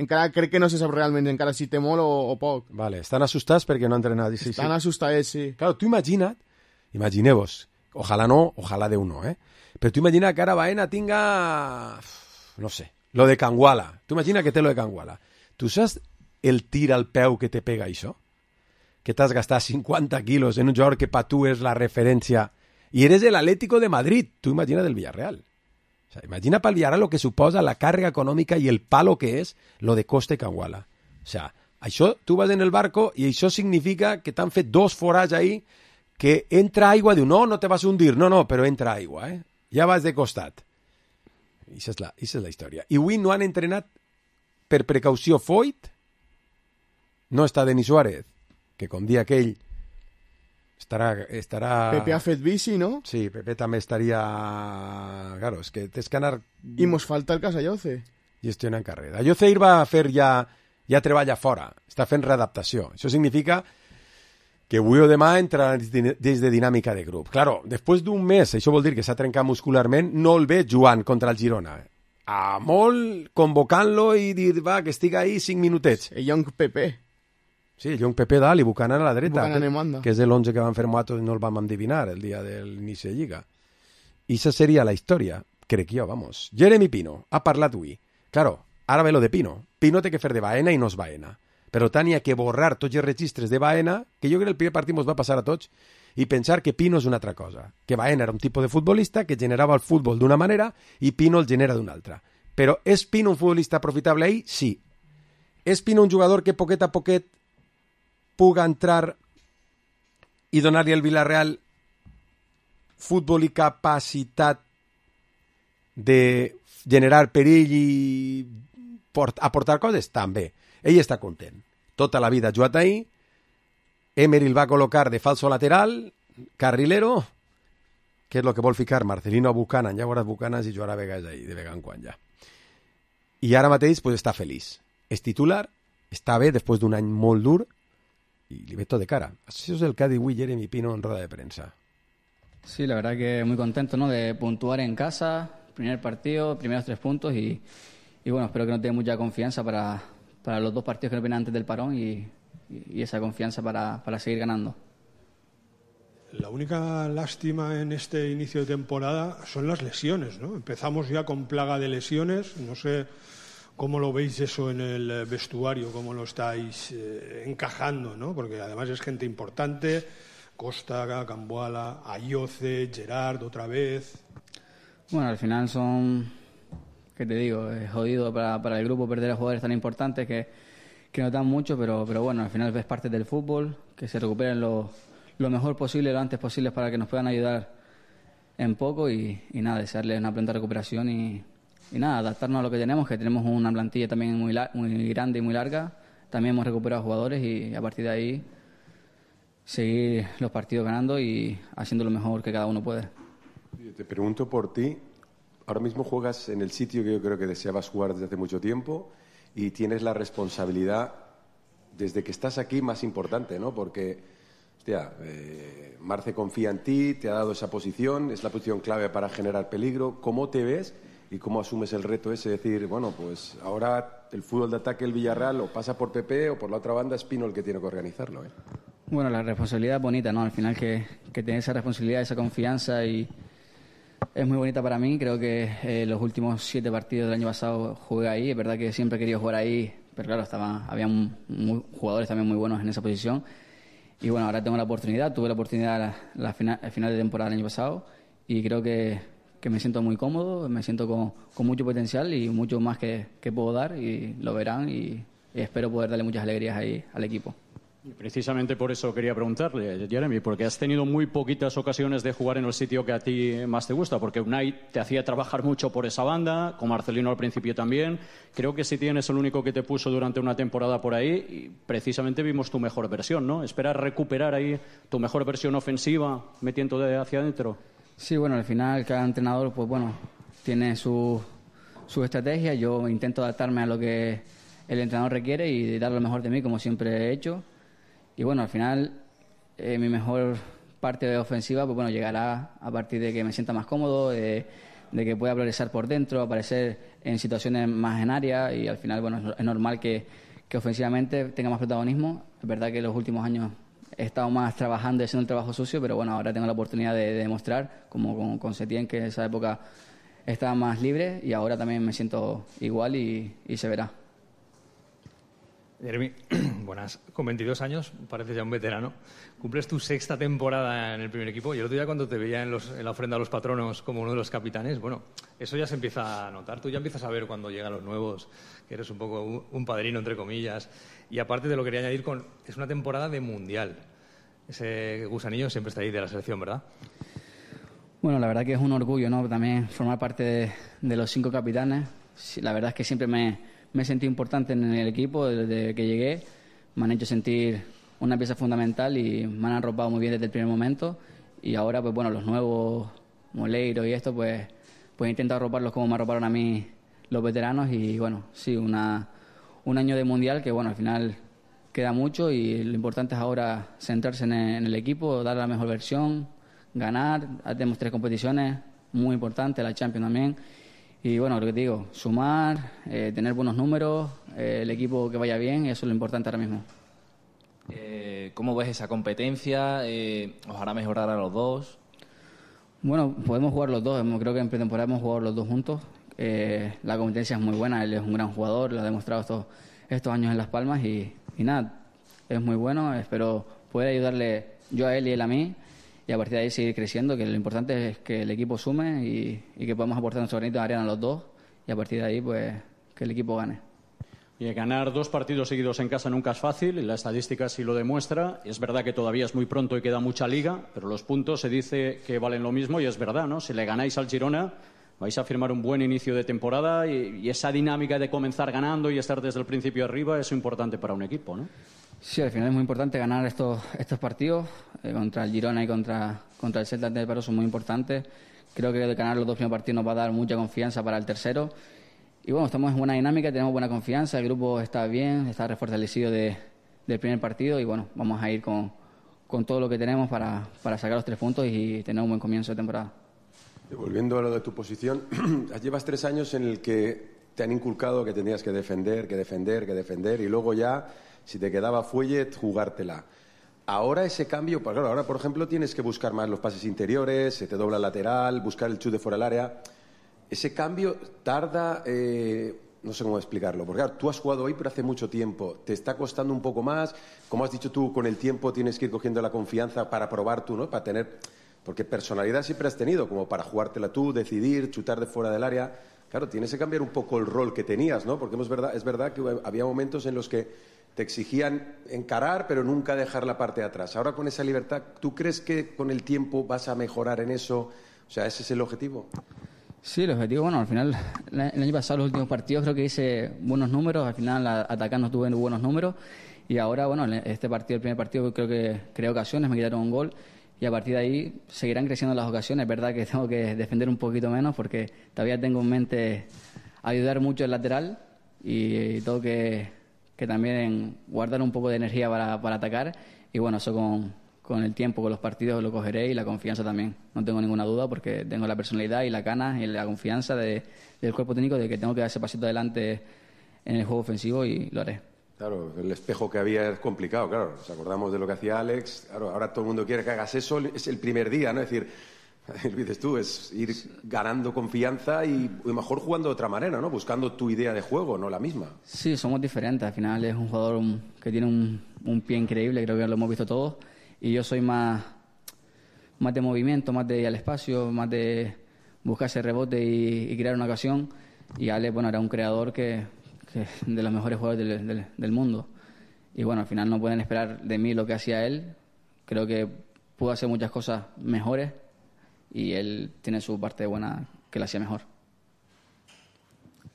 encara crec que no se sap realment encara si té molt o, o poc. Vale, estan assustats perquè no ha entrenat. Sí, estan sí. assustats, sí. Claro, tu imagina't, imagineu-vos, ojalà no, ojalà Déu no, eh? Però tu imagina que ara Baena tinga, no sé, lo de Canguala. Tu imagina que té lo de Canguala. Tu saps el tir al peu que te pega això? Que t'has gastat cinquanta quilos en un jugador que pa tu és la referència i eres el Atlético de Madrid. Tu imagina del Villarreal. O sea, imagina para el Villarreal lo que suposa la càrrega econòmica i el palo que és lo de Costa i Canguala. O sea, això, tu vas en el barco i això significa que t'han fet dos forats ahí que entra aigua, diu, no, no te vas a hundir. No, no, però entra aigua, eh? Ja vas de costat. I això és la, això és la història. I avui no han entrenat per precaució Foyt, no està Denis Suárez, que com dia aquell estarà... estarà... Pepe ha fet bici, no? Sí, Pepe també estaria... Claro, és que tens que anar... I mos falta el cas Ayoce. Gestionant carrera. Ayoce va a fer ja... ja treballa fora, està fent readaptació. Això significa que avui o demà entra des de dinàmica de grup. Claro, després d'un mes, això vol dir que s'ha trencat muscularment, no el ve jugant contra el Girona. A molt convocant-lo i dir, va, que estigui ahí cinc minutets. El Young Pepe. Sí, el Young Pepe dalt i Buchanan a la dreta, Buchanan en que, banda. que és l'onze que van fer Moatos i no el vam endevinar el dia de l'inici de Lliga. I això seria la història, crec jo, vamos. Jeremy Pino ha parlat avui. Claro, ara ve lo de Pino. Pino té que fer de Baena i no és Baena. Per tant, hi ha que borrar tots els registres de Baena, que jo crec que el primer partit ens va passar a tots, i pensar que Pino és una altra cosa. Que Baena era un tipus de futbolista que generava el futbol d'una manera i Pino el genera d'una altra. Però és Pino un futbolista profitable ahí? Sí. És Pino un jugador que poquet a poquet puga entrar i donar-li al Villarreal futbol i capacitat de generar perill i port, aportar coses? També. Ell està content. Tota la vida ha jugat ahí. Emery el va col·locar de falso lateral, carrilero, que és el que vol ficar Marcelino a Buchanan. Ja veuràs Buchanan si jugarà a vegades ahí, de vegades en quan ja. I ara mateix pues, està feliç. És titular, està bé després d'un any molt dur y le ve todo de cara. Eso es el que ha dicho Jeremy Pino en rueda de prensa. Sí, la verdad que muy contento, ¿no? De puntuar en casa, primer partido, primeros tres puntos y, y bueno, espero que nos dé mucha confianza para, para los dos partidos que nos vienen antes del parón y, y esa confianza para, para seguir ganando. La única lástima en este inicio de temporada son las lesiones, ¿no? Empezamos ya con plaga de lesiones, no sé cómo lo veis eso en el vestuario, cómo lo estáis eh, encajando, ¿no? Porque además es gente importante, Costa, Cambuala, Ayoce, Gerard otra vez. Bueno, al final son, ¿qué te digo? Es jodido para, para el grupo perder a jugadores tan importantes que, que nos dan mucho, pero, pero bueno, al final ves parte del fútbol, que se recuperen lo, lo mejor posible, lo antes posible para que nos puedan ayudar en poco y, y nada, desearles una pronta recuperación y, y nada, adaptarnos a lo que tenemos, que tenemos una plantilla también muy, muy grande y muy larga. También hemos recuperado jugadores y a partir de ahí seguir los partidos ganando y haciendo lo mejor que cada uno puede. Te pregunto por ti. Ahora mismo juegas en el sitio que yo creo que deseabas jugar desde hace mucho tiempo y tienes la responsabilidad desde que estás aquí más importante, ¿no? Porque, hostia, eh, Marce confía en ti, te ha dado esa posición, es la posición clave para generar peligro. ¿Cómo te ves y cómo asumes el reto ese de decir, bueno, pues ahora el fútbol de ataque del Villarreal o pasa por Pepe o por la otra banda es Pino el que tiene que organizarlo, ¿eh? Bueno, la responsabilidad es bonita, ¿no? Al final que, que tener esa responsabilidad, esa confianza y es muy bonita para mí. Creo que eh, los últimos siete partidos del año pasado jugué ahí. Es verdad que siempre he querido jugar ahí, pero claro, estaba, había muy, jugadores también muy buenos en esa posición. Y bueno, ahora tengo la oportunidad. Tuve la oportunidad la, la final, el final de temporada del año pasado y creo que, que me siento muy cómodo, me siento con, con mucho potencial y mucho más que, que puedo dar y lo verán y, y espero poder darle muchas alegrías ahí al equipo. Y precisamente por eso quería preguntarle, Jeremy, porque has tenido muy poquitas ocasiones de jugar en el sitio que a ti más te gusta, porque Unai te hacía trabajar mucho por esa banda, con Marcelino al principio también. Creo que Setién es el único que te puso durante una temporada por ahí y precisamente vimos tu mejor versión, ¿no? ¿Esperas recuperar ahí tu mejor versión ofensiva metiendo de hacia adentro? Sí, bueno, al final cada entrenador, pues bueno, tiene su, su estrategia. Yo intento adaptarme a lo que el entrenador requiere y dar lo mejor de mí, como siempre he hecho. Y bueno, al final eh, mi mejor parte ofensiva pues bueno, llegará a partir de que me sienta más cómodo, de, de que pueda progresar por dentro, aparecer en situaciones más en área y al final bueno, es normal que, que ofensivamente tenga más protagonismo. Es verdad que en los últimos años he estado más trabajando y haciendo el trabajo sucio, pero bueno, ahora tengo la oportunidad de, de demostrar, como con, con Setién, que en esa época estaba más libre y ahora también me siento igual y, y se verá. Jeremy, buenas. Con veintidós años, pareces ya un veterano. Cumples tu sexta temporada en el primer equipo y el otro día cuando te veía en, los, en la ofrenda a los patronos como uno de los capitanes, bueno, eso ya se empieza a notar. Tú ya empiezas a ver cuando llegan los nuevos, que eres un poco un, un padrino, entre comillas. Y aparte te lo quería añadir con... Es una temporada de mundial. Ese gusanillo siempre está ahí de la selección, ¿verdad? Bueno, la verdad que es un orgullo, ¿no? También formar parte de, de los cinco capitanes. Sí, la verdad es que siempre me... Me sentí importante en el equipo desde que llegué. Me han hecho sentir una pieza fundamental y me han arropado muy bien desde el primer momento. Y ahora, pues bueno, los nuevos, Moleiro y esto, pues, pues intento arroparlos como me arroparon a mí los veteranos. Y bueno, sí, una, un año de mundial que bueno, al final queda mucho y lo importante es ahora centrarse en el, en el equipo, dar la mejor versión, ganar. Tenemos tres competiciones muy importantes, la Champions también. Y bueno, lo que te digo, sumar, eh, tener buenos números, eh, el equipo que vaya bien, eso es lo importante ahora mismo. Eh, ¿Cómo ves esa competencia? Eh, ¿Os hará mejorar a los dos? Bueno, podemos jugar los dos. Creo que en pretemporada hemos jugado los dos juntos. Eh, la competencia es muy buena, él es un gran jugador, lo ha demostrado estos, estos años en Las Palmas y, y nada, es muy bueno. Espero poder ayudarle yo a él y él a mí. Y a partir de ahí seguir creciendo, que lo importante es que el equipo sume y, y que podamos aportar nuestro granito de arena a los dos y a partir de ahí pues que el equipo gane. Y ganar dos partidos seguidos en casa nunca es fácil y la estadística sí lo demuestra. Es verdad que todavía es muy pronto y queda mucha liga, pero los puntos se dice que valen lo mismo y es verdad, ¿no? Si le ganáis al Girona vais a firmar un buen inicio de temporada y, y esa dinámica de comenzar ganando y estar desde el principio arriba es importante para un equipo, ¿no? Sí, al final es muy importante ganar estos estos partidos eh, contra el Girona y contra, contra el Celta de Vigo son muy importantes. Creo que ganar los dos primeros partidos nos va a dar mucha confianza para el tercero. Y bueno, estamos en buena dinámica, tenemos buena confianza, el grupo está bien, está refortalecido de, del primer partido y bueno, vamos a ir con, con todo lo que tenemos para, para sacar los tres puntos y tener un buen comienzo de temporada. Volviendo a lo de tu posición, llevas tres años en el que te han inculcado que tenías que defender, que defender, que defender y luego ya... Si te quedaba fuelle, jugártela. Ahora ese cambio, pues claro, ahora por ejemplo tienes que buscar más los pases interiores, se te dobla el lateral, buscar el chute fuera del área. Ese cambio tarda, eh, no sé cómo explicarlo, porque claro, tú has jugado hoy pero hace mucho tiempo, te está costando un poco más, como has dicho tú, con el tiempo tienes que ir cogiendo la confianza para probar tú, ¿no? Para tener, porque personalidad siempre has tenido, como para jugártela tú, decidir, chutar de fuera del área. Claro, tienes que cambiar un poco el rol que tenías, ¿no? Porque es verdad, es verdad que había momentos en los que te exigían encarar, pero nunca dejar la parte de atrás. Ahora con esa libertad, ¿tú crees que con el tiempo vas a mejorar en eso? O sea, ¿ese es el objetivo? Sí, el objetivo, bueno, al final, el año pasado, los últimos partidos, creo que hice buenos números, al final atacando tuve buenos números, y ahora, bueno, este partido, el primer partido, creo que creé ocasiones, me quitaron un gol, y a partir de ahí seguirán creciendo las ocasiones. Es verdad que tengo que defender un poquito menos, porque todavía tengo en mente ayudar mucho el lateral, y tengo que... que también guardar un poco de energía para, para atacar y bueno, eso con, con el tiempo, con los partidos lo cogeré y la confianza también, no tengo ninguna duda porque tengo la personalidad y la ganas y la confianza de, del cuerpo técnico de que tengo que dar ese pasito adelante en el juego ofensivo y lo haré. Claro, el espejo que había es complicado, claro, nos acordamos de lo que hacía Alex, claro, ahora todo el mundo quiere que hagas eso, es el primer día, ¿no? Es decir, lo dices tú, es ir ganando confianza y mejor jugando de otra manera, ¿no? Buscando tu idea de juego, no la misma. Sí, somos diferentes. Al final es un jugador que tiene un, un pie increíble, creo que lo hemos visto todos. Y yo soy más, más de movimiento, más de ir al espacio, más de buscar ese rebote y, y crear una ocasión. Y Ale, bueno, era un creador que, que de los mejores jugadores del, del, del mundo. y bueno, al final no pueden esperar de mí lo que hacía él. Creo que pudo hacer muchas cosas mejores y él tiene su parte buena que la hacía mejor.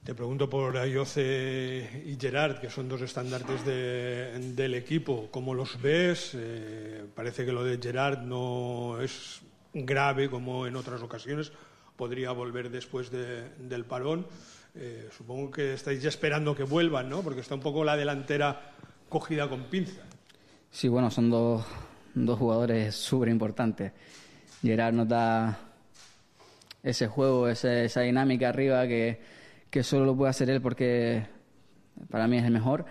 Te pregunto por Ayoce y Gerard, que son dos estandartes de, del equipo. ¿Cómo los ves? Eh, parece que lo de Gerard no es grave como en otras ocasiones. Podría volver después de, del parón. Eh, supongo que estáis ya esperando que vuelvan, ¿no? Porque está un poco la delantera cogida con pinza. Sí, bueno, son dos, dos jugadores súper importantes. Gerard nos da ese juego, ese, esa dinámica arriba que... que solo lo puede hacer él porque para mí es el mejor.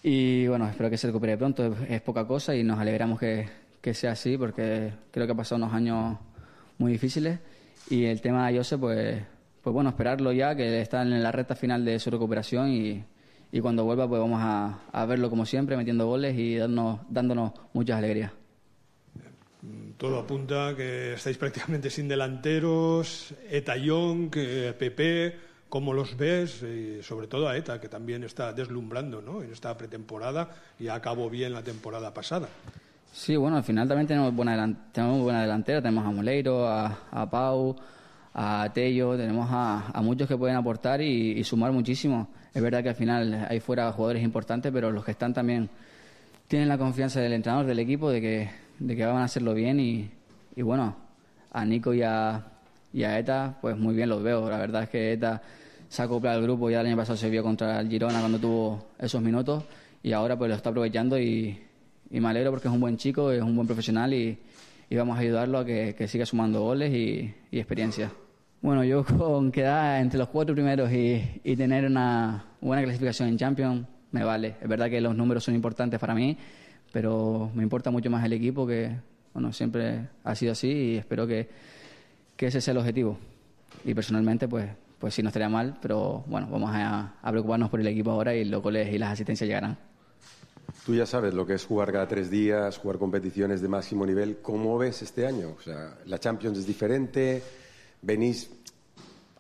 Y bueno, espero que se recupere pronto, es, es poca cosa y nos alegramos que, que sea así porque creo que ha pasado unos años muy difíciles. Y el tema de Ayose, pues, pues bueno, esperarlo ya, que está en la recta final de su recuperación y, y cuando vuelva pues vamos a, a verlo como siempre, metiendo goles y darnos, dándonos muchas alegrías. Todo apunta que estáis prácticamente sin delanteros, Eta Young, Pepe. ¿Cómo los ves? Y sobre todo a Eta, que también está deslumbrando, ¿no?, en esta pretemporada y acabó bien la temporada pasada. Sí, bueno, al final también tenemos buena, delan- tenemos buena delantera. Tenemos a Moleiro, a, a Pau, a Tello. Tenemos a, a muchos que pueden aportar y, y sumar muchísimo. Es verdad que al final hay fuera jugadores importantes, pero los que están también tienen la confianza del entrenador, del equipo, de que, de que van a hacerlo bien. Y, y bueno, a Nico y a, y a Eta, pues muy bien los veo. La verdad es que Eta se ha acoplado al grupo, ya el año pasado se vio contra el Girona cuando tuvo esos minutos y ahora pues lo está aprovechando y, y me alegro porque es un buen chico, es un buen profesional y, y vamos a ayudarlo a que, que siga sumando goles y, y experiencia. Bueno, yo con quedar entre los cuatro primeros y, y tener una buena clasificación en Champions me vale. Es verdad que los números son importantes para mí, pero me importa mucho más el equipo, que bueno, siempre ha sido así y espero que, que ese sea el objetivo. Y personalmente pues pues sí, no estaría mal, pero bueno, vamos a, a preocuparnos por el equipo ahora y los goles y las asistencias llegarán. Tú ya sabes lo que es jugar cada tres días, jugar competiciones de máximo nivel. ¿Cómo ves este año? O sea, la Champions es diferente, venís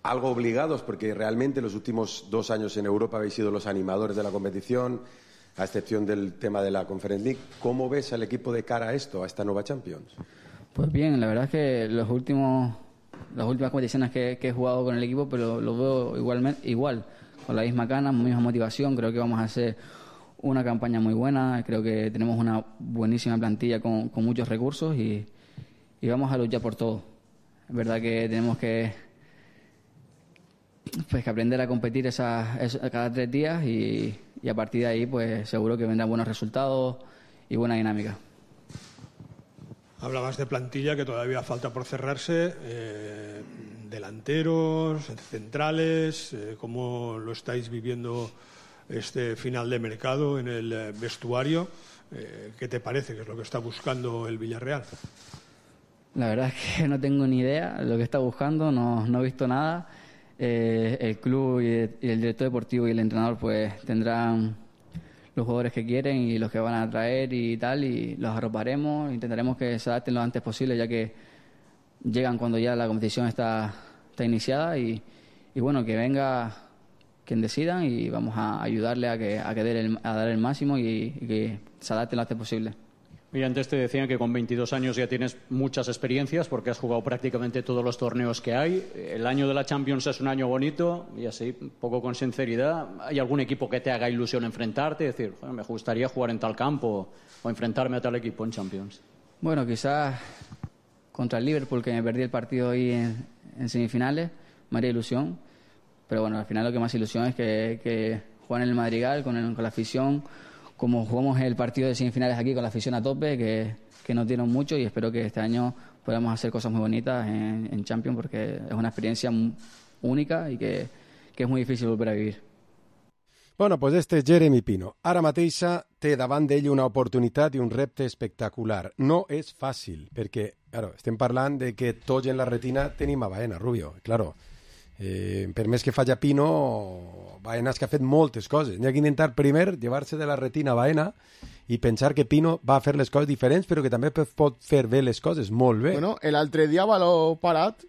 algo obligados porque realmente los últimos dos años en Europa habéis sido los animadores de la competición, a excepción del tema de la Conference League. ¿Cómo ves al equipo de cara a esto, a esta nueva Champions? Pues bien, la verdad es que los últimos... las últimas competiciones que, que he jugado con el equipo, pero lo veo igualmente, igual, con la misma gana, misma motivación. Creo que vamos a hacer una campaña muy buena, creo que tenemos una buenísima plantilla con, con muchos recursos y, y vamos a luchar por todo. Es verdad que tenemos que, pues, que aprender a competir esa, esa, cada tres días y, y a partir de ahí pues seguro que vendrán buenos resultados y buena dinámica. Hablabas de plantilla que todavía falta por cerrarse, eh, delanteros, centrales, eh, ¿cómo lo estáis viviendo este final de mercado en el vestuario? Eh, ¿Qué te parece que es lo que está buscando el Villarreal? La verdad es que no tengo ni idea de lo que está buscando, no, no he visto nada. Eh, el club y el director deportivo y el entrenador pues tendrán los jugadores que quieren y los que van a traer y tal, y los arroparemos, intentaremos que se adapten lo antes posible, ya que llegan cuando ya la competición está, está iniciada y, y bueno, que venga quien decidan y vamos a ayudarle a que a, que dé el, a dar el máximo y, y que se adapten lo antes posible. Y antes te decían que con veintidós años ya tienes muchas experiencias porque has jugado prácticamente todos los torneos que hay. El año de la Champions es un año bonito y así, un poco con sinceridad. ¿Hay algún equipo que te haga ilusión enfrentarte? Es decir, bueno, me gustaría jugar en tal campo o enfrentarme a tal equipo en Champions. Bueno, quizás contra el Liverpool, que me perdí el partido ahí en, en semifinales, me haría ilusión. Pero bueno, al final lo que más ilusión es que, que juegan en el Madrigal con, el, con la afición, como jugamos el partido de semifinales aquí con la afición a tope, que, que nos dieron mucho y espero que este año podamos hacer cosas muy bonitas en, en Champions porque es una experiencia única y que, que es muy difícil volver a vivir. Bueno, pues este és Jeremy Pino. Ara mateixa té davant d'ell una oportunitat i un repte espectacular. No és fàcil, perquè, claro, estem parlant de que tots en la retina tenim a Baena, Rubio. Claro, eh, per més que faci Pino, Baena és que ha fet moltes coses. N'hi ha que intentar primer llevar-se de la retina a Baena i pensar que Pino va a fer les coses diferents, però que també pot fer bé les coses molt bé. Bueno, l'altre dia, baló parat,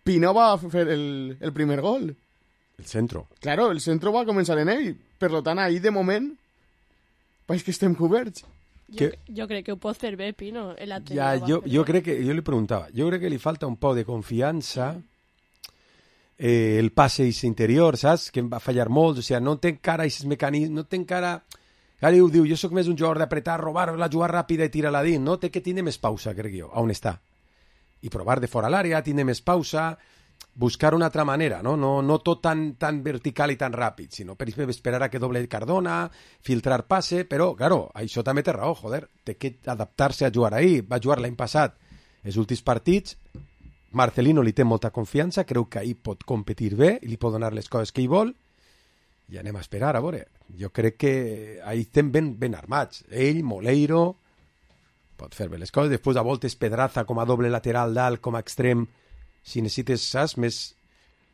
Pino va fer el, el primer gol. El centro. Claro, el centro va començar en ell. Per tant, ahí, de moment, Pues que estem coberts. Jo, Que- jo crec que ho pot fer bé, Pino. El Ateneu Ja, va jo, fer jo bé. crec que, jo li preguntava, jo crec que li falta un poc de confiança, eh, el passe interior, saps? Que em va fallar molt, o sigui, no té encara aquests mecanismes, no té encara... Ara diu, diu, jo sóc més un jugador d'apretar, robar, la jugar ràpida i tirar-la dins, no? Té que tindre més pausa, crec jo, on està. I provar de fora l'àrea, tindre més pausa, buscar una altra manera, no? No, no tot tan, tan vertical i tan ràpid, sinó per exemple esperar a que doble Cardona, filtrar passe, però, claro, això també té raó, joder, té que adaptar-se a jugar ahí. Va jugar l'any passat els últims partits, Marcelino li té molta confiança, creu que ahir pot competir bé i li pot donar les coses que hi vol, i anem a esperar, a veure. Jo crec que ahir estem ben, ben armats. Ell, Moleiro, pot fer bé les coses. Després, a voltes, Pedraza com a doble lateral dalt, com a extrem, si necessites, saps, més...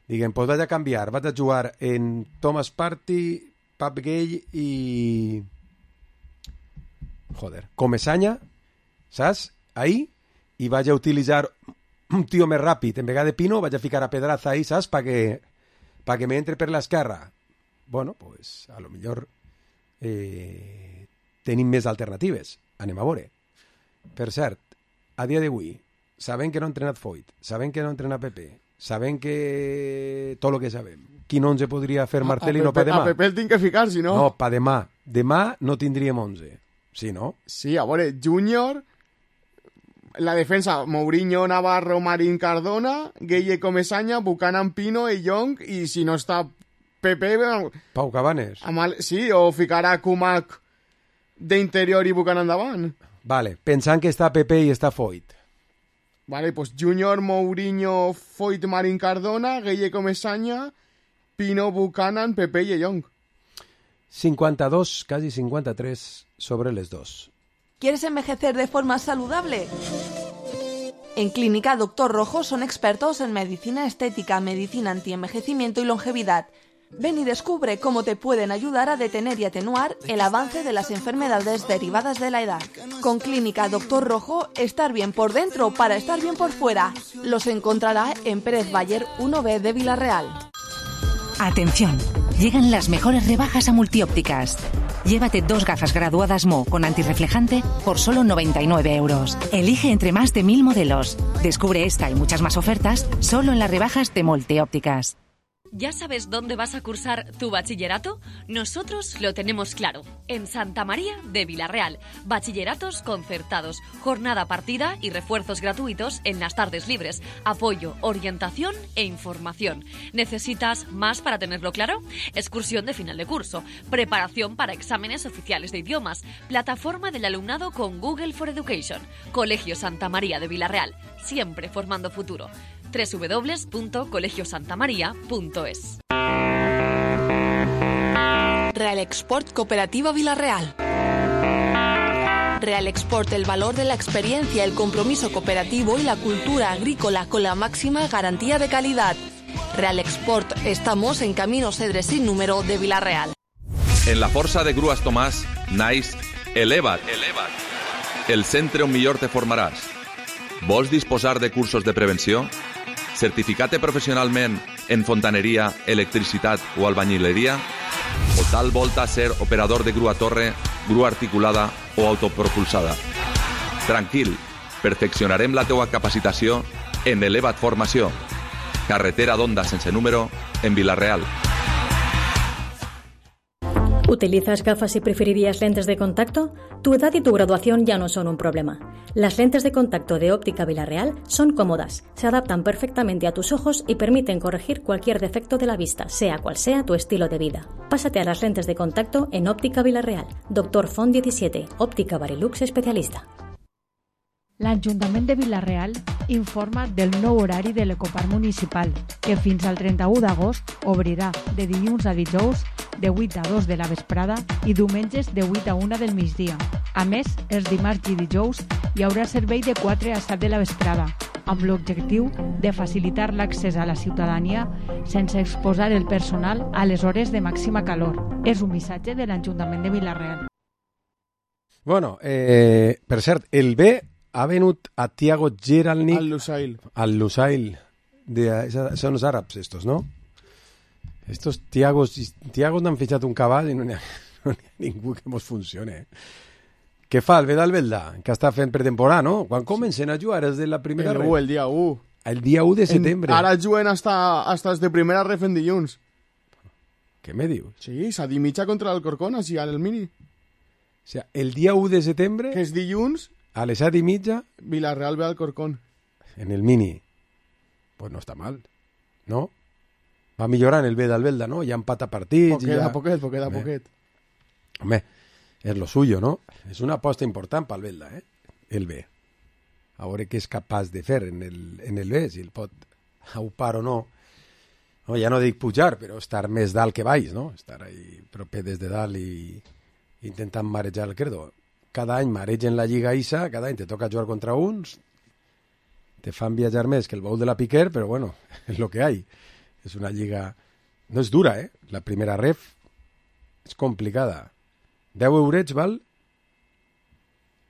Diguem, doncs vaig a canviar, vaig a jugar en Thomas Partey, Pap Gay i... Joder, Comesaña, saps? Ahí, i vaig a utilitzar un tio més ràpid. En vegada de Pino, vaig a ficar a Pedraza ahí, saps? Pa que, pa que me entre per l'esquerra. Bueno, pues a lo millor eh, tenim més alternatives. Anem a veure. Per cert, a dia d'avui, sabem que no ha entrenat Foyt, sabem que no ha entrenat Pepe, sabem que tot el que sabem. Quin onze podria fer Marcelino pa demà? A Pepe el tinc que ficar, si no... No, pa demà. Demà no tindríem onze. Sí, no? Sí, a veure, Júnior, la defensa, Mourinho, Navarro, Marín, Cardona, Gueye, Comesaña, Buchanan, Pino, E. Young, i si no està Pepe... Pau Cabanes. Amal, sí, o ficar a Kumak d'interior i Buchanan davant. Vale, pensant que està Pepe i està Foyt. Vale, pues Júnior, Mourinho, Foyt, Marín, Cardona, Gueye, Comesaña, Pino, Buchanan, Pepe i E. Young. cincuenta-dos, casi cincuenta-tres sobre les dos. ¿Quieres envejecer de forma saludable? En Clínica Doctor Rojo son expertos en medicina estética, medicina antienvejecimiento y longevidad. Ven y descubre cómo te pueden ayudar a detener y atenuar el avance de las enfermedades derivadas de la edad. Con Clínica Doctor Rojo, estar bien por dentro para estar bien por fuera. Los encontrará en Pérez Bayer uno B de Villarreal. Atención, llegan las mejores rebajas a Multiópticas. Llévate dos gafas graduadas Mo con antirreflejante por solo noventa y nueve euros. Elige entre más de mil modelos. Descubre esta y muchas más ofertas solo en las rebajas de Multiópticas. ¿Ya sabes dónde vas a cursar tu bachillerato? Nosotros lo tenemos claro. En Santa María de Villarreal. Bachilleratos concertados, jornada partida y refuerzos gratuitos en las tardes libres. Apoyo, orientación e información. ¿Necesitas más para tenerlo claro? Excursión de final de curso. Preparación para exámenes oficiales de idiomas. Plataforma del alumnado con Google for Education. Colegio Santa María de Villarreal. Siempre formando futuro. doble u doble u doble u punto colegio santa maría punto es. Real Export Cooperativa Villarreal. Real Export, el valor de la experiencia, el compromiso cooperativo y la cultura agrícola con la máxima garantía de calidad. Real Export, estamos en Camino Cedre sin número de Villarreal. En la Força de Grues Tomàs, naix Eleva't. Eleva't. El centre on millor te formaràs. Vols disposar de cursos de prevenció? Certificat professionalment en fontaneria, electricitat o albañileria? O tal volta ser operador de grua torre, grua articulada o autopropulsada? Tranquil, perfeccionarem la teua capacitació en Eleva't Formació. Carretera d'Onda sense número en Vilareal. ¿Utilizas gafas y preferirías lentes de contacto? Tu edad y tu graduación ya no son un problema. Las lentes de contacto de Óptica Villarreal son cómodas, se adaptan perfectamente a tus ojos y permiten corregir cualquier defecto de la vista, sea cual sea tu estilo de vida. Pásate a las lentes de contacto en Óptica Villarreal. Doctor Font diecisiete, Óptica Barilux especialista. L'Ajuntament de Vila-real informa del nou horari de l'Ecoparc Municipal, que fins al trenta-u d'agost obrirà de dilluns a dijous de vuit a dos de la vesprada i diumenges de vuit a una del migdia. A més, els dimarts i dijous hi haurà servei de quatre a set de la vesprada, amb l'objectiu de facilitar l'accés a la ciutadania sense exposar el personal a les hores de màxima calor. És un missatge de l'Ajuntament de Vila-real. Bueno, eh, per cert, el B ha venut a Thiago Geralnik al Lusail. Al Lusail. De, esa, son los árabes estos, ¿no? Estos Thiagos, Thiagos no han fichado un cabal y no, no hi ha ningú que mos funcione. Què fa el Vedalbelda, que està fent pretemporada, no? Quan comencen a jugar és de la primera el ref? u, el dia u. El dia u de setembre. En, ara juguen hasta, hasta de primera ref en dilluns. Què me dius? Sí, set i mitja contra l'Alcorcón, així al Mini. O sea, el dia u de setembre... Que és dilluns... A les set i mitja... Villarreal ve al Alcorcón. En el Mini. Pues no està mal, no? Va millorant el Vedalbelda, no? Ja empata partits... Poquet ja... a poquet, poquet a Home. poquet. Home, és lo suyo, no? És una aposta important pel Belda, eh? El B. A veure què és capaç de fer en el, en el B, si el pot aupar o no. No, ja no dic pujar, però estar més dalt que baix, no? Estar ahí proper des de dalt i intentant marejar el credo. Cada any maregen la Lliga Isa, cada any te toca jugar contra uns, te fan viatjar més que el baúl de la Piquer, però bueno, és lo que hay. És una lliga... No és dura, eh? La primera ref és complicada. deu eurets, val?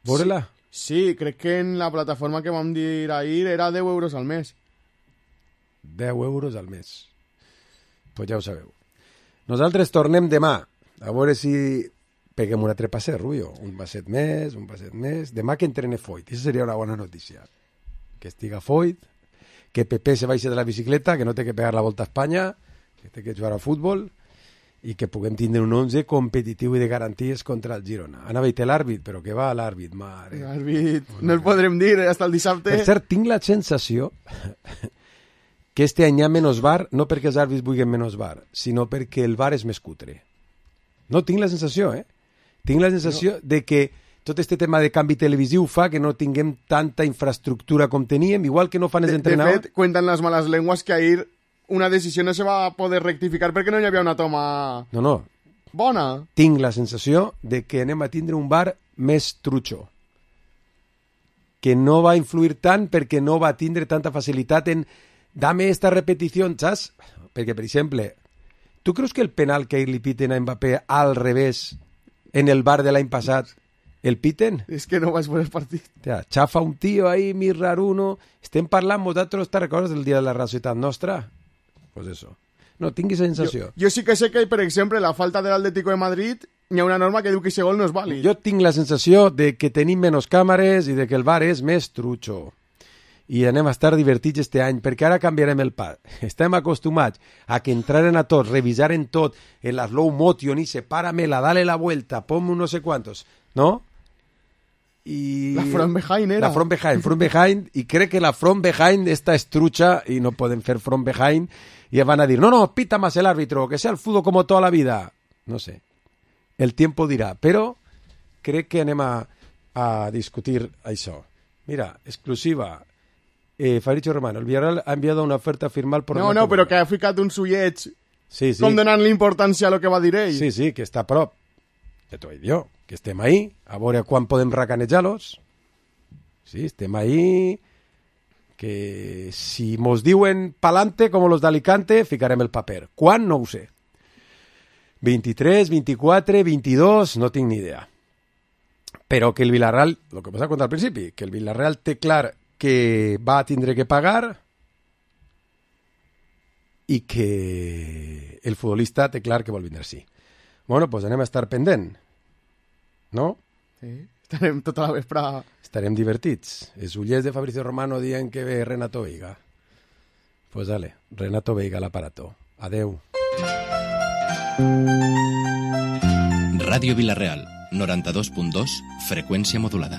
Veure-la? Sí, sí, crec que en la plataforma que vam dir ahir era deu euros al mes. deu euros al mes. Pues ja ho sabeu. Nosaltres tornem demà. A veure si peguem un altre passet, Rubio. Un passet més, un passet més. Demà que entrene Foyt. Això seria una bona notícia. Que estiga Foyt, que Pepe se baixe de la bicicleta, que no té que pegar la volta a Espanya, que té que jugar a futbol i que puguem tindre un onze competitiu i de garanties contra el Girona. Anava a dir l'àrbit, però que va l'àrbit, mare. L'àrbit, no el podrem dir, hasta el dissabte. Per cert, tinc la sensació que este any hi ha menys bar, no perquè els àrbits vulguin menys bar, sinó perquè el bar és més cutre. No, tinc la sensació, eh? Tinc la sensació no. de que tot este tema de canvi televisiu fa que no tinguem tanta infraestructura com teníem, igual que no fan els de, entrenadors. De fet, cuentan las malas lenguas que ahir una decisió no se va a poder rectificar perquè no hi havia una toma no, no. bona. Tinc la sensació de que anem a tindre un bar més trutxo, que no va influir tant perquè no va tindre tanta facilitat en dame esta repetició, saps? Perquè, per exemple, tu creus que el penal que ahir li piten a Mbappé al revés en el bar de l'any passat el piten? És que no vaig veure el partit. Tia, xafa un tio ahí, mi raruno. Estem parlant vosaltres, te recordes del dia de la racialitat nostra? Pues eso. No, tinguis la sensació. Jo, jo sí que sé que, per exemple, la falta de l'Atlético de Madrid, hi ha una norma que diu que aquest gol no és vàlid. Jo tinc la sensació de que tenim menys càmeres i de que el bar és més trutxo. I anem a estar divertits este any, perquè ara canviarem el pas. Estem acostumats a que entraren a tots, revisaren tot, en la slow motion, i sepáramela, dale la vuelta, ponme un no sé cuántos, ¿no? Y la front behind era. La front behind, front behind, i crec que la front behind està estrucha i no poden fer front behind, i van a dir, no, no, pita más el árbitro, que sea el fútbol como toda la vida. No sé, el tiempo dirà, però crec que anem a, a discutir això. Mira, exclusiva. Eh, Fabricio Romano, el Villarreal ha enviado una oferta firmal por... No, no, però que ha ficat un sulleig sí, sí. com donant-li importància a lo que va dir ell. Sí, sí, que està a prop. Ja t'ho he dit jo, que estem ahí, a veure quan podem racanejar-los. Sí, estem ahí, que si mos diuen pa'lante, com los d'Alicante, ficarem el paper. Quan? No ho sé. vint-i-tres, vint-i-quatre, vint-i-dos, no tinc ni idea. Però que el Villarreal, el que passa contra al principi, que el Villarreal té clar que va tindre que pagar i que el futbolista té clar que vol vindre sí. Bueno, doncs anem a estar pendent, no? Sí, estarem tota la vesprada. Estarem divertits. Els ullers de Fabricio Romano dient que ve Renato Veiga. Pues dale, Renato Veiga a l'aparato. Adeu. Ràdio Vilareal, noranta-dos punt dos, freqüència modulada.